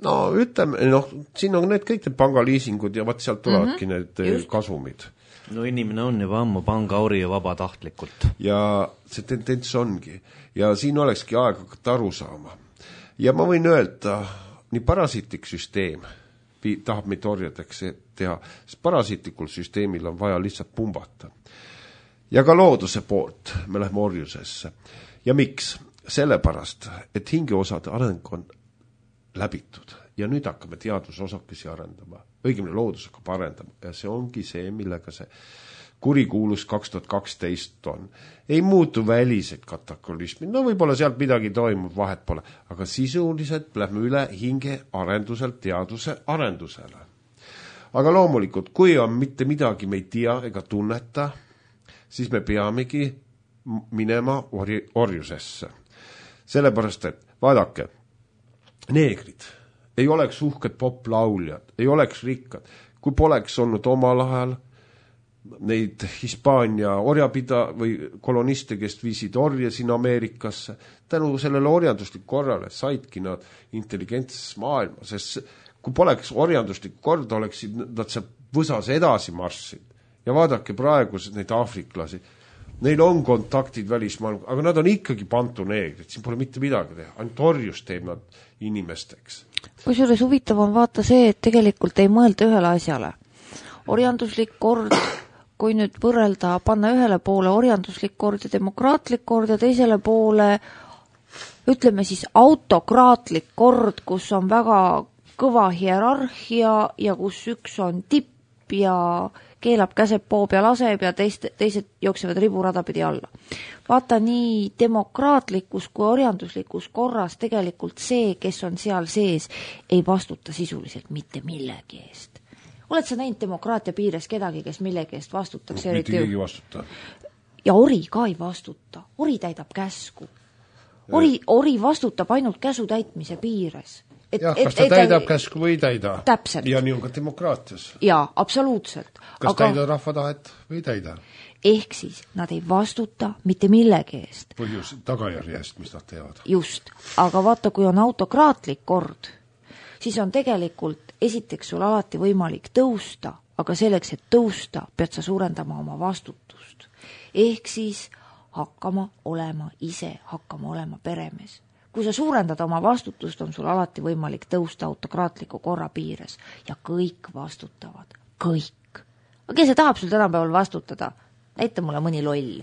No ütleme, noh, siin on need kõik need pangaliisingud ja vaat sealt tulevadki mm -hmm. need Just. kasumid. No inimene on juba ammu pangauri ja vabatahtlikult. Ja see tendents ongi. Ja siin olekski aeg hakata aru saama. Ja ma võin öelda, nii parasiitlik süsteem tahab meid orjadeks teha, sest parasiitlikul süsteemil on vaja lihtsalt pumbata. Ja ka looduse poolt me lähme orjusesse. Ja miks? Sellepärast, et hingeosade areng on läbitud ja nüüd hakkame teadusosakesi arendama. Õigemini loodus hakkab arendama ja see ongi see, millega see kurikuulus kaks tuhat kaksteist on. Ei muutu välised katakolismi, no võib-olla sealt midagi toimub, vahet pole, aga sisuliselt lähme üle hinge arenduselt teaduse arendusele. Aga loomulikult, kui on mitte midagi me ei tea ega tunneta, siis me peamegi minema orj- orjusesse. Sellepärast, et vaadake, neegrid ei oleks uhked poplauljad, ei oleks rikkad, kui poleks olnud omal ajal neid Hispaania orjapida või koloniste, kes viisid orje siin Ameerikasse. Tänu sellele orjanduslik korrale saidki nad intelligentses maailma, sest kui poleks orjanduslik kord, oleksid nad see võsas edasi marssid. Ja vaadake praegu neid aafriklasi, neil on kontaktid välismaailma, aga nad on ikkagi pantuneegrid, siin pole mitte midagi teha, ainult orjus teeb nad inimesteks. Kusjuures huvitav on vaata see, et tegelikult ei mõelda ühele asjale. Orjanduslik kord, kui nüüd võrrelda, panna ühele poole orjanduslik kord ja demokraatlik kord ja teisele poole, ütleme siis autokraatlik kord, kus on väga kõva hierarhia ja kus üks on tipp ja keelab käseb poob ja laseb ja teist, teised jooksevad riburada pidi alla. Vaata, nii demokraatlikus kui orjanduslikus korras tegelikult see, kes on seal sees, ei vastuta sisuliselt mitte millegi eest. Oled sa näinud demokraatia piires kedagi, kes millegi eest vastutakse? Mitte keegi vastuta. Ja ori ka ei vastuta. Ori täidab käsku. Ori, ori vastutab ainult käsu täitmise piires. et, jah, et, kas ta et, täidab et, käsku või ei täida. Täpselt. Ja nii on ka demokraatias. Jaa, absoluutselt. Kas aga... täida rahva tahet või ei täida? Ehk siis nad ei vastuta mitte millegi eest. Põhjus tagajärje eest, mis nad teevad. Just, aga vaata, kui on autokraatlik kord, siis on tegelikult esiteks sul alati võimalik tõusta, aga selleks, et tõusta, pead sa suurendama oma vastutust. Ehk siis hakkama olema ise, hakkama olema peremees. Kui sa suurendad oma vastutust, on sul alati võimalik tõusta autokraatliku korra piires ja kõik vastutavad. Kõik. Aga kes see tahab sul tänapäeval vastutada? Näita mulle mõni loll.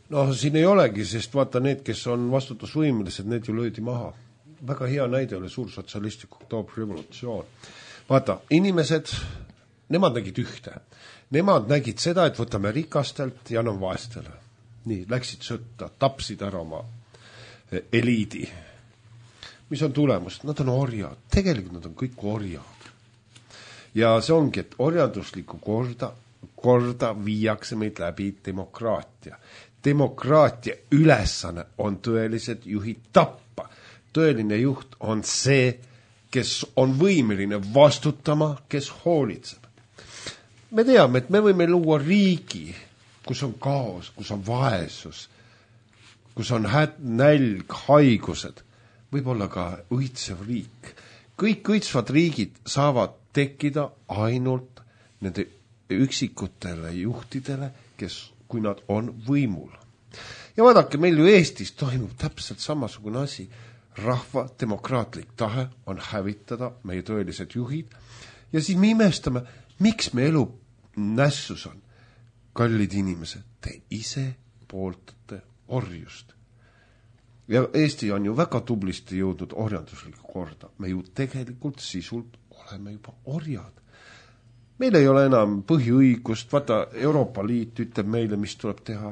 No siin ei olegi, sest vaata need, kes on vastutusvõimelised, need ju löödi maha. Väga hea näide oli suur sotsialistlik oktoobrirevolutsioon. Vaata, inimesed, nemad nägid ühte. Nemad nägid seda, et võtame rikastelt ja anname vaestele. Nii, läksid sõtta, tapsid ära oma eliidi. Mis on tulemus? Nad on orjad. Tegelikult nad on kõik orjad. Ja see ongi, et orjanduslikku korda korda viiakse meid läbi demokraatia. Demokraatia ülesanne on tõelised juhid tappa. Tõeline juht on see, kes on võimeline vastutama, kes hoolitseb. Me teame, et me võime luua riigi, kus on kaos, kus on vaesus, kus on häd, nälg, haigused, võib-olla ka õitsev riik. Kõik õitsvad riigid saavad tekkida ainult nende üksikutele juhtidele, kes, kui nad on võimul. Ja vaadake, meil ju Eestis toimub täpselt samasugune asi. Rahva demokraatlik tahe on hävitada meie tõelised juhid ja siis me imestame, miks me elu nässus on. Kallid inimesed, te ise pooltate orjust. Ja Eesti on ju väga tublisti jõudnud orjanduslikku korda. Me ju tegelikult sisult oleme juba orjad. Meil ei ole enam põhiõigust, vaata Euroopa Liit ütleb meile, mis tuleb teha.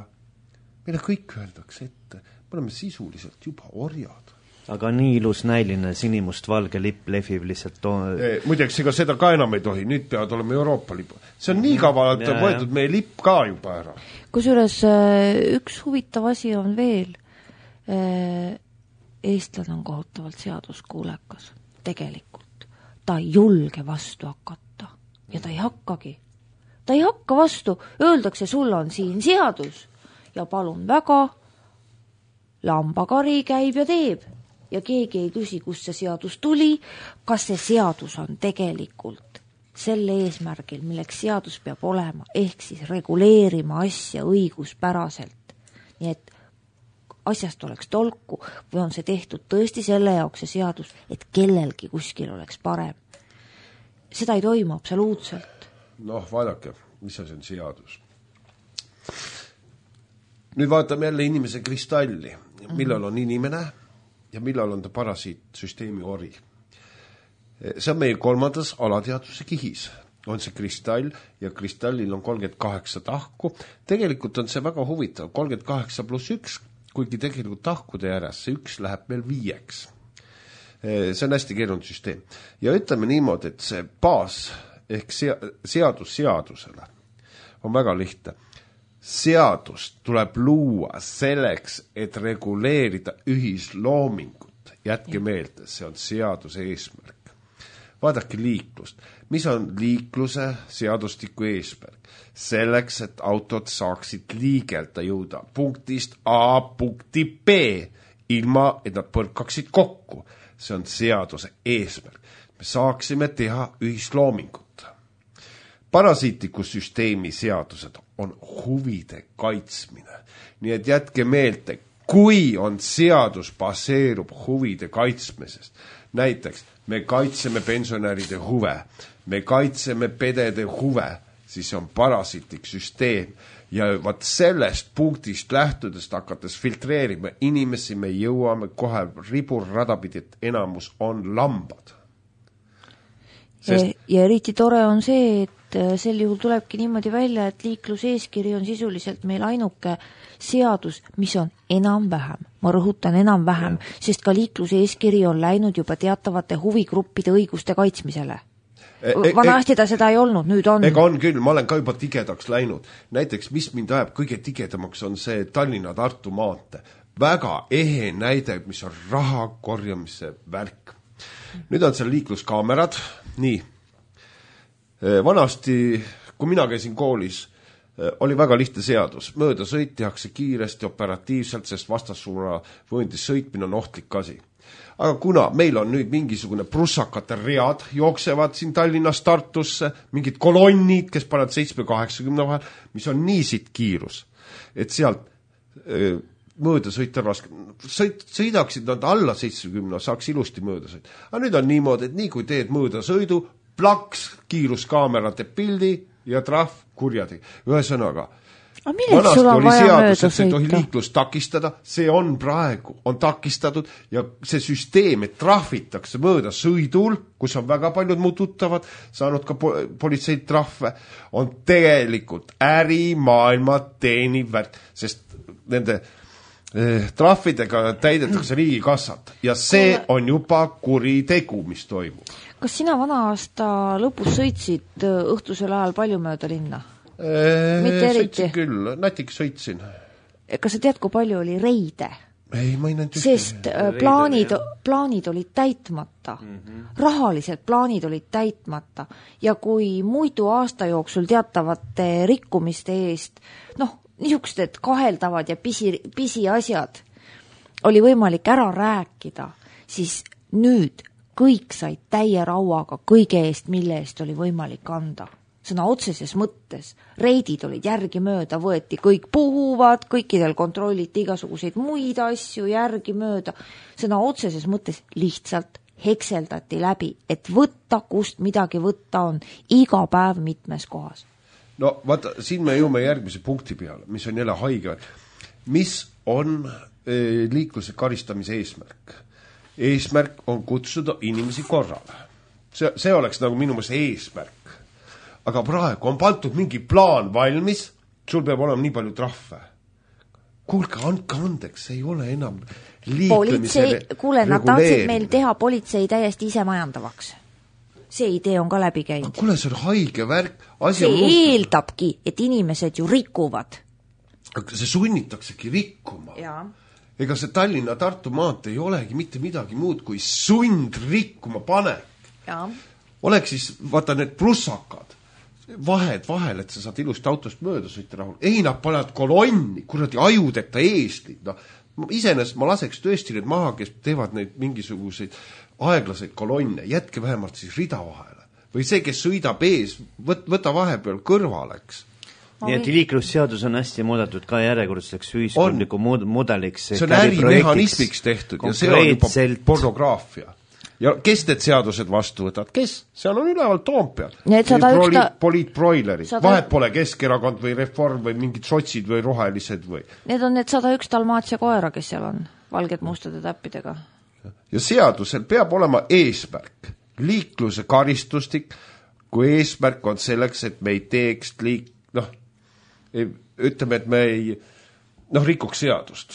Meile kõik öeldakse ette, me oleme sisuliselt juba orjad. Aga nii ilus näiline sinimust valge lipp lehvib lihtsalt to... e, muideks, ega seda ka enam ei tohi, nüüd peavad olema Euroopa lipp. See on nii kavalalt ja, võetud meie lipp ka juba ära. Kusjuures üks huvitav asi on veel. Eestlane on kohutavalt seaduskuulekas. Tegelikult. Ta ei julge vastu hakata. Ja ta ei hakkagi. Ta ei hakka vastu. Öeldakse, sul on siin seadus. Ja palun väga, lambakari käib ja teeb. Ja keegi ei küsi, kust see seadus tuli. Kas see seadus on tegelikult selle eesmärgil, milleks seadus peab olema, ehk siis reguleerima asja õiguspäraselt. Nii et asjast oleks tolku või on see tehtud tõesti selle jaoks see seadus, et kellelgi kuskil oleks parem. Seda ei toimu absoluutselt. Noh, vaadake, mis see on seadus. Nüüd vaatame jälle inimese kristalli, millal on inimene ja millal on ta parasiitsüsteemi ori. See on meie kolmandas alateadvuse kihis. On see kristall ja kristallil on kolmkümmend kaheksa tahku. Tegelikult on see väga huvitav, kolmkümmend kaheksa pluss üks, kuigi tegelikult tahkude järjest see üks läheb meil viieks. See on hästi keerunud süsteem. Ja ütleme niimoodi, et see baas ehk seadus seadusele on väga lihtne. Seadust tuleb luua selleks, et reguleerida ühisloomingut. Jätke meelde, see on seaduse eesmärk. Vaadake liiklust. Mis on liikluse seadustiku eesmärk? Selleks, et autod saaksid liigelda jõuda punktist A punkti B, ilma et nad põrkaksid kokku. See on seaduse eesmärk. Me saaksime teha ühisloomingut. Parasiitliku süsteemi seadused on huvide kaitsmine. Nii et jätke meelde, kui on seadus baseerub huvide kaitsmisest. Näiteks, me kaitseme pensionäride huve, me kaitseme pedede huve, siis on parasiitlik süsteem. Ja vaat sellest punktist lähtudest hakates filtreerima inimesi, me jõuame kohe ribur radapidit, enamus on lambad. Sest... Ja, ja eriti tore on see, et sel juhul tulebki niimoodi välja, et liikluseeskiri on sisuliselt meil ainuke seadus, mis on enam-vähem. Ma rõhutan enam-vähem, ja. Sest ka liikluseeskiri on läinud juba teatavate huvigruppide õiguste kaitsmisele. Vanasti ta seda ei olnud, nüüd on. Ega on küll, ma olen ka juba tigedaks läinud. Näiteks, mis mind ajab kõige tigedamaks, on see Tallinna-Tartu maante. Väga ehe näide, mis on raha korjamise värk. nüüd on seal liikluskaamerad, nii. Vanasti, kui mina käisin koolis, oli väga lihtne seadus. Mööda sõit tehakse kiiresti, operatiivselt, sest vastassuuna vööndis sõitmine on ohtlik asi. Aga kuna meil on nüüd mingisugune prussakate read, jooksevad siin Tallinnast Tartusse, mingid kolonnid, kes panevad seitsme kaheksakümne vahel, mis on nii siit kiirus, et sealt öö, mööda sõita raske. Sõit, sõidaksid nad alla seitsmekümne, saaks ilusti mööda sõita. Aga nüüd on niimoodi, et nii kui teed mööda sõidu, plaks, kiiruskaamera teeb pildi ja trahv kurjadega. Ühesõnaga, vanasti oli seadus, et see ei tohi liiklust takistada, see on praegu, on takistatud ja see süsteem, et trahvitakse mööda sõidul, kus on väga paljud muud tuttavad, saanud ka politseid trahve, on tegelikult ärimaailma teeniv väärt, sest nende eh, trahvidega täidetakse riigikassat ja see on juba kuritegu, mis toimub. Kas sina vana aasta lõpus sõitsid õhtusel ajal palju mööda linna? Eee, Mitte eriti? Sõitsin küll, natik sõitsin. Kas sa tead, kui palju oli reide? Ei, ma ei näinud ühtegi. Sest plaanid, plaanid olid täitmata. Mm-hmm. Rahalised plaanid olid täitmata. Ja kui muidu aasta jooksul teatavate rikkumiste eest, noh, niisugused kaheldavad ja pisi, pisi asjad oli võimalik ära rääkida, siis nüüd kõik said täie rauaga kõige eest, mille eest oli võimalik anda. Sõna otseses mõttes. Reidid olid järgi mööda, võeti kõik puhuvad, kõikidel kontrolliti igasuguseid muid asju järgi mööda. Sõna otseses mõttes lihtsalt hekseldati läbi, et võtta, kust midagi võtta on iga päev mitmes kohas. No vaata, siin me jõume järgmise punkti peale, mis on jälle haige. Mis on e, liikluse karistamise eesmärk? Eesmärk on kutsuda inimesi korrale. See, see oleks nagu minu mõttes eesmärk. Aga praegu on pandud mingi plaan valmis, sul peab olema nii palju trahve. Kuulge, andke andeks, see ei ole enam liiklemise politsei, kuule, nad tahtsid meil teha politsei täiesti ise majandavaks. See idee on ka läbi käinud. Kuule, see on haige värk. Asi see on eeldabki, et inimesed ju rikuvad. Aga see sunnitaksegi rikkuma. Jaa. Ega see Tallinna Tartu maant ei olegi mitte midagi muud kui sund rikkuma panek. Jaa. Oleks siis, vaata need plussakad, vahed vahel, et sa saad ilusti autost mööda sõita rahul. Ei, nad panevad kolonni, kuradi ajudeta eeslid. No, iseenesest ma laseks tõesti need maha, kes teevad neid mingisuguseid aeglaseid kolonne. Jätke vähemalt siis rida vahele. Või see, kes sõidab ees, võt, võta vahepeal kõrvaleks. Nii et liiklusseadus on hästi muudetud ka järjekordseks ühiskondliku mudeliks. See on ärimehhanismiks tehtud ja see on juba pornograafia. Ja kes need seadused vastu võtad? Kes? Seal on üleval Toompeal. Proli, poliitbroileri. sada... Vahet pole Keskerakond või Reform või mingid sotsid või rohelised või. Need on need sada üks Dalmaatsia koera, kes seal on, valged mustade täppidega. Ja seadusel peab olema eesmärk. Liikluse karistustik, kui eesmärk on selleks, et me ei teeks liik... noh, ütleme, et me ei noh, rikuks seadust.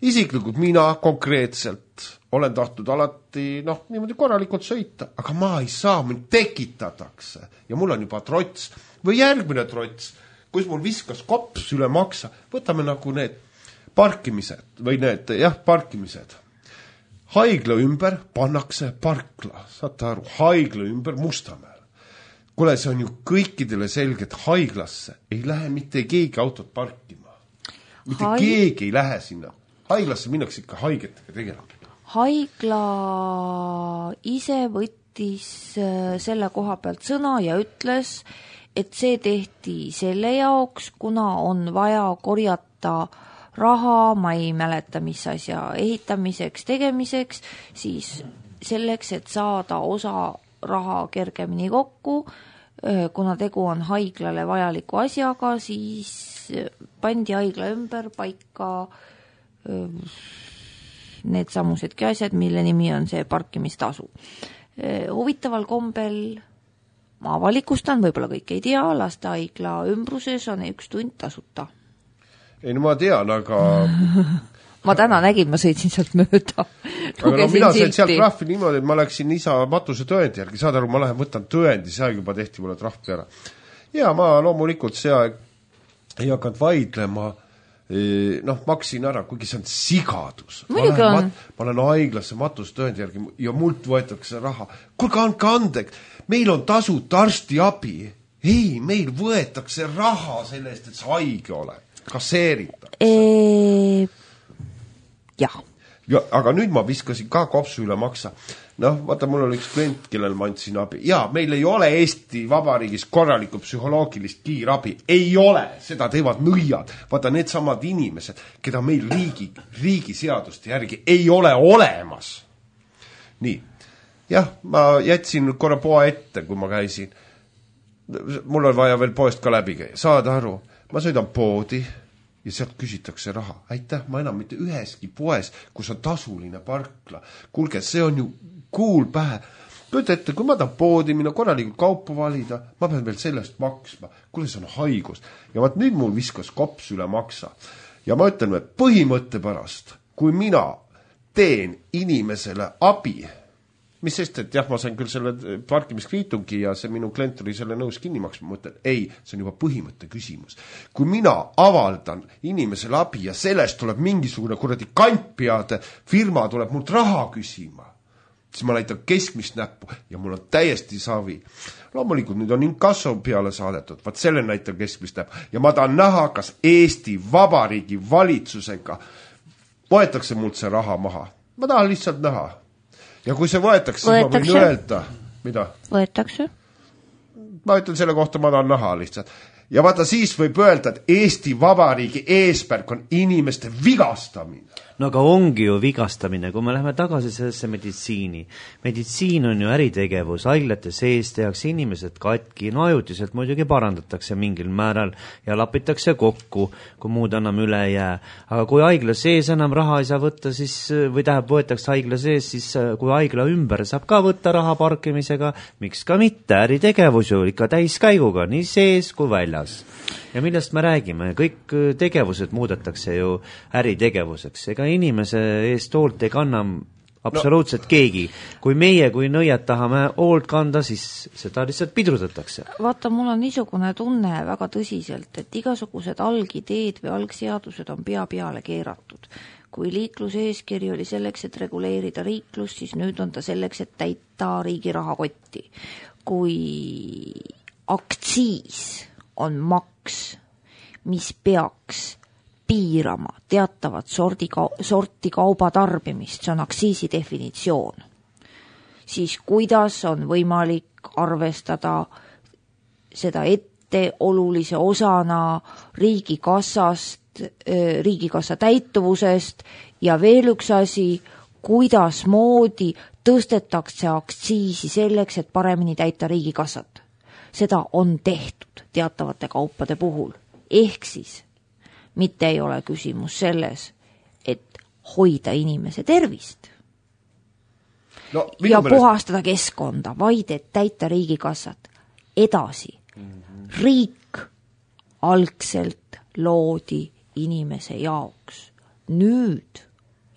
Isiklikult mina konkreetselt olen tahtnud alati noh, niimoodi korralikult sõita, aga ma ei saa, mind tekitatakse ja mul on juba trots või järgmine trots, kus mul viskas kops üle maksa, võtame nagu need parkimised või need, jah, parkimised. Haigla ümber pannakse parkla, saate aru, haigla ümber Mustamäel. Kule, see on ju kõikidele selge, et haiglasse ei lähe mitte keegi autot parkima. Mitte Haig... keegi ei lähe sinna. Haiglasse minnakse ikka haigetega tegelema. Haigla ise võttis selle koha pealt sõna ja ütles, et see tehti selle jaoks, kuna on vaja korjata raha, ma ei mäleta, mis asja ehitamiseks, tegemiseks, siis selleks, et saada osa raha kergemini kokku, kuna tegu on haiglale vajaliku asjaga, siis pandi haigla ümber paika need samusedki asjad, mille nimi on see parkimistasu. Huvitaval kombel ma avalikustan, võib-olla kõik ei tea, lastehaigla ümbruses on üks tund tasuta. Ei, no ma tean, aga... ma täna nägin, ma sõitsin sealt mööda. Aga no mina sain sealt trahvi niimoodi, et ma läksin isa matuse tõendi järgi. Saad aru, ma lähen võtan tõendi, see aeg juba tehti mulle trahvi ära. Ja ma loomulikult see aeg ei hakanud vaidlema. noh, maksin ära, kuigi see on sigadus. Muidugi on. Mat, ma olen haiglasse matustööndi järgi ja mult võetakse raha. Kuulge, andke andeks, meil on tasuta arstiabi. Ei, meil võetakse raha selle eest, et see haige ole. Kasseeritakse. E... jah. Ja, aga nüüd ma viskasin ka kopsu üle maksa. Noh, vaata, mul oli üks klient, kellel ma andsin abi. Jaa, meil ei ole Eesti Vabariigis korralikku psühholoogilist kiirabi. Ei ole, seda teevad nõiad. Vaata, need samad inimesed, keda meil riigi, riigi seaduste järgi ei ole olemas. Nii. Jah, ma jätsin korra poa ette, kui ma käisin. Mul on vaja veel poest ka läbi käia. Saad aru, ma sõidan poodi ja sealt küsitakse raha. Aitäh, ma enam mitte üheski poes, kus on tasuline parkla. Kuulge, see on ju kuul pähe. Kuid ette, kui ma tahan poodi minna korralikult kaupa valida, ma pean veel sellest maksma. Kuule, see on haigus. Ja vaat nüüd mul viskas kops üle maksa. Ja ma ütlen, et põhimõtte pärast, kui mina teen inimesele abi, mis sest, et jah, ma sain küll selle parkimiskviitungi ja see minu klient oli selle nõus kinni maksma, ma mõtlen, ei, see on juba põhimõtte küsimus. Kui mina avaldan inimesele abi ja sellest tuleb mingisugune kuradi kantpeade firma tuleb mult raha küsima, siis ma näitan keskmist näppu ja mul on täiesti savi. Loomulikult nüüd on inkasso peale saadetud, vaat selle näitan keskmist näppu ja ma tahan näha, kas Eesti Vabariigi valitsusega võetakse mult see raha maha. Ma tahan lihtsalt näha. Ja kui see võetakse, siis ma võin öelda, mida? Võetakse. Ma ütlen selle kohta, ma tahan näha lihtsalt. Ja vaata, siis võib öelda, et Eesti Vabariigi eesmärk on inimeste vigastamine. No aga ongi ju vigastamine, kui me läheme tagasi sellesse meditsiini. Meditsiin on ju äritegevus, haiglate sees tehakse inimesed katki, no ajutiselt muidugi parandatakse mingil määral ja lapitakse kokku, kui muud annam üle jää. Aga kui haigla sees enam raha ei saa võtta, siis, või täheb võetakse haigla sees, siis kui haigla ümber saab ka võtta raha parkimisega, miks ka mitte, äritegevus ju ikka täiskäiguga, nii sees kui väljas. Ja millest me räägime? Kõik tegevused muudetakse ju äritegevuseks. Ega inimese eest hoolt ei kanna absoluutselt no. keegi. Kui meie, kui nõiad tahame hoolt kanda, siis seda lihtsalt pidrudatakse. Vaata, mul on niisugune tunne väga tõsiselt, et igasugused algideed või algseadused on pea peale keeratud. Kui liikluse eeskiri oli selleks, et reguleerida riiklust, siis nüüd on ta selleks, et täita riigi rahakotti. Kui aktsiis on maks, mis peaks piirama teatavat sordi, sorti kauba tarbimist, see on aktsiisi definitsioon, siis kuidas on võimalik arvestada seda ette olulise osana riigikassast, riigikassa täituvusest ja veel üks asi, kuidas moodi tõstetakse aktsiisi selleks, et paremini täita riigikassat. Seda on tehtud teatavate kaupade puhul. Ehk siis mitte ei ole küsimus selles, et hoida inimese tervist no, ja mõnes... puhastada keskkonda, vaid et täita riigikassat. Edasi, mm-hmm. riik algselt loodi inimese jaoks. Nüüd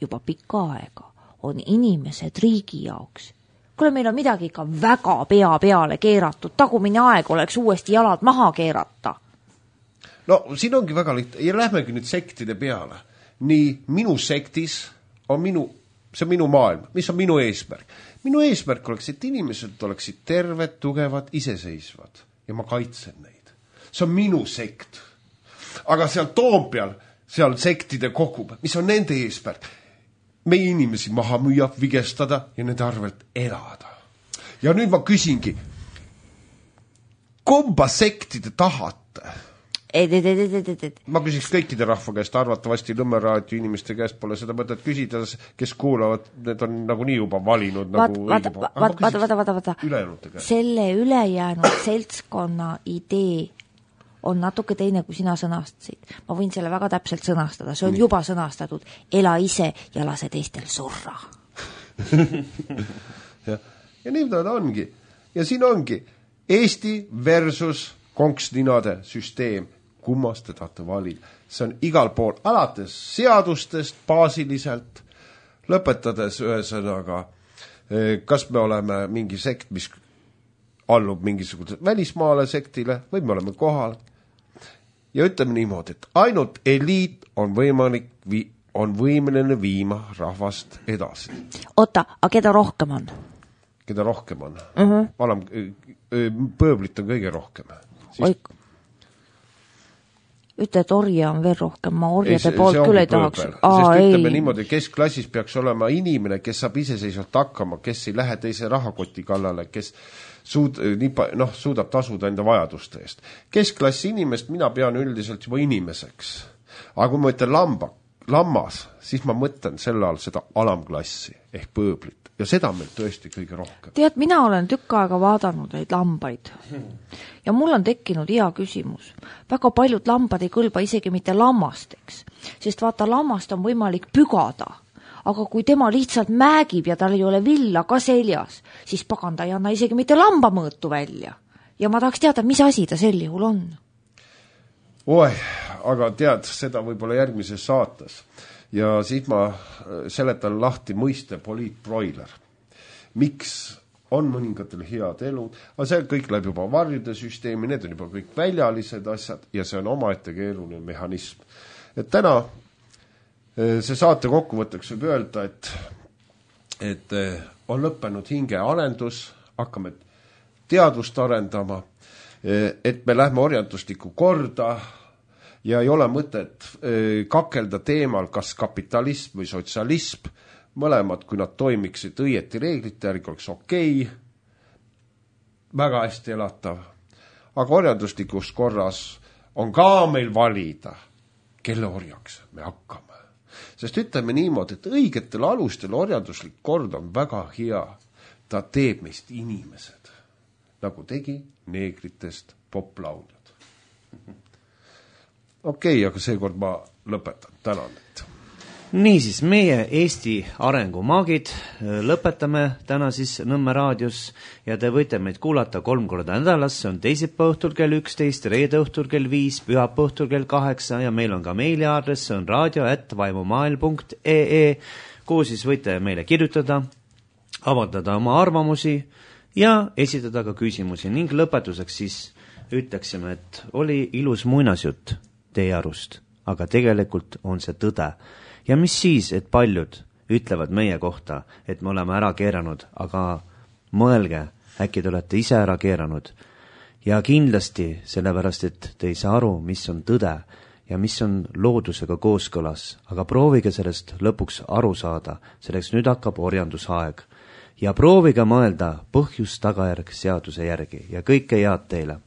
juba pikka aega on inimesed riigi jaoks. Kuule, meil on midagi ikka väga pea peale keeratud. Tagumine aeg oleks uuesti jalad maha keerata. No, siin ongi väga lihtne. Ja lähmegi nüüd sektide peale. Nii, minu sektis on minu, see on minu maailm. Mis on minu eesmärk? Minu eesmärk oleks, et inimesed oleksid terved, tugevad, iseseisvad. Ja ma kaitsen neid. See on minu sekt. Aga seal Toompeal, seal sektide kogub, mis on nende eesmärk? Meie inimesi maha müüa, vigestada ja nende arvelt elada. Ja nüüd ma küsingi, kumba sektide tahate? Et, et, et, et, et, et. Ma küsiks kõikide rahva käest, arvatavasti Nõmmeraadio inimeste käest pole seda mõtet küsida, kes kuulavad, need on nagu nii juba valinud. Vaat, nagu vaata, vaata, vaata, vaata, vaata, vaata. Selle ülejäänud seltskonna idee on natuke teine, kui sina sõnastasid. Ma võin selle väga täpselt sõnastada. See on nii. Juba sõnastatud. Ela ise ja lase teistel surra. ja, ja nii ta ongi. Ja siin ongi Eesti versus konksninade süsteem. Kummast te tahate valida? See on igal pool alates seadustest baasiliselt, lõpetades ühesõnaga, kas me oleme mingi sekt, mis allub mingisuguse välismaale sektile või me oleme kohal. ja ütleme niimoodi, et ainult eliit on võimalik, on võimeline viima rahvast edasi. Oota, aga keda rohkem on? Keda rohkem on? Uh-huh. Alam, pööblit on kõige rohkem. Siis... Oi, ütle, et orja on veel rohkem, ma orjade ei, poolt küll ei tahaks. Aa, sest ütleme ei. Niimoodi, keskklassis peaks olema inimene, kes saab iseseisvalt hakkama, kes ei lähe teise rahakoti kallale, kes suud, noh, suudab tasuda enda vajaduste eest. Keskklassi inimest mina pean üldiselt juba inimeseks. Aga kui ma ütlen lamba, lammas, siis ma mõtlen selle all seda alamklassi ehk pööblit. Ja seda meil tõesti kõige rohkem. Tead, mina olen tükk aega vaadanud neid lambaid. Ja mul on tekkinud hea küsimus. Väga paljud lambad ei kõlba isegi mitte lammasteks, sest vaata, lammast on võimalik pügada. Aga kui tema lihtsalt määgib ja tal ei ole villa ka seljas, siis paganda ei anna isegi mitte lambamõõtu välja. Ja ma tahaks teada, mis asi ta sel juhul on. Oi, aga tead, seda võib-olla järgmises saates. Ja siis ma seletan lahti mõiste poliitbroiler. Miks on mõningatel head elud, aga see kõik läheb juba varjude süsteemi, need on juba kõik väljalised asjad ja see on omaette keeruline mehhanism. Et täna see saate kokkuvõtteks võib öelda, et, et on lõppenud hinge arendus, hakkame teadvust arendama, et me lähme orjanduslikku korda, ja ei ole mõtet kakelda teemal, kas kapitalism või sotsialism, mõlemad, kui nad toimiksid õieti reeglite järgi, oleks okei, väga hästi elatav. Aga orjanduslikus korras on ka meil valida, kelle orjaks me hakkame. Sest ütleme niimoodi, et õigetel alustel orjanduslik kord on väga hea. Ta teeb meist inimesed, nagu tegi neegritest poplauljad. Okei, okay, aga seekord ma lõpetan. Tänan. Niisiis, meie Eesti arengumaagid lõpetame täna siis Nõmme raadios ja te võite meid kuulata kolm korda nädalas, see on teisipäeva õhtul kell üksteist, reede õhtul kell viis, pühapäeva õhtul kell kaheksa ja meil on ka meiliaadress, see on radio at vaimumail punkt ee, kuhu siis võite meile kirjutada, avaldada oma arvamusi ja esitada ka küsimusi ning lõpetuseks siis ütleksime, et oli ilus muinasjutt teie arust, aga tegelikult on see tõde. Ja mis siis, et paljud ütlevad meie kohta, et me oleme ära keeranud, aga mõelge, äkki te olete ise ära keeranud. Ja kindlasti sellepärast, et te ei saa aru, mis on tõde ja mis on loodusega kooskõlas, aga proovige sellest lõpuks aru saada, selleks nüüd hakkab orjandusaeg. Ja proovige mõelda põhjus tagajärg seaduse järgi ja kõike head teile.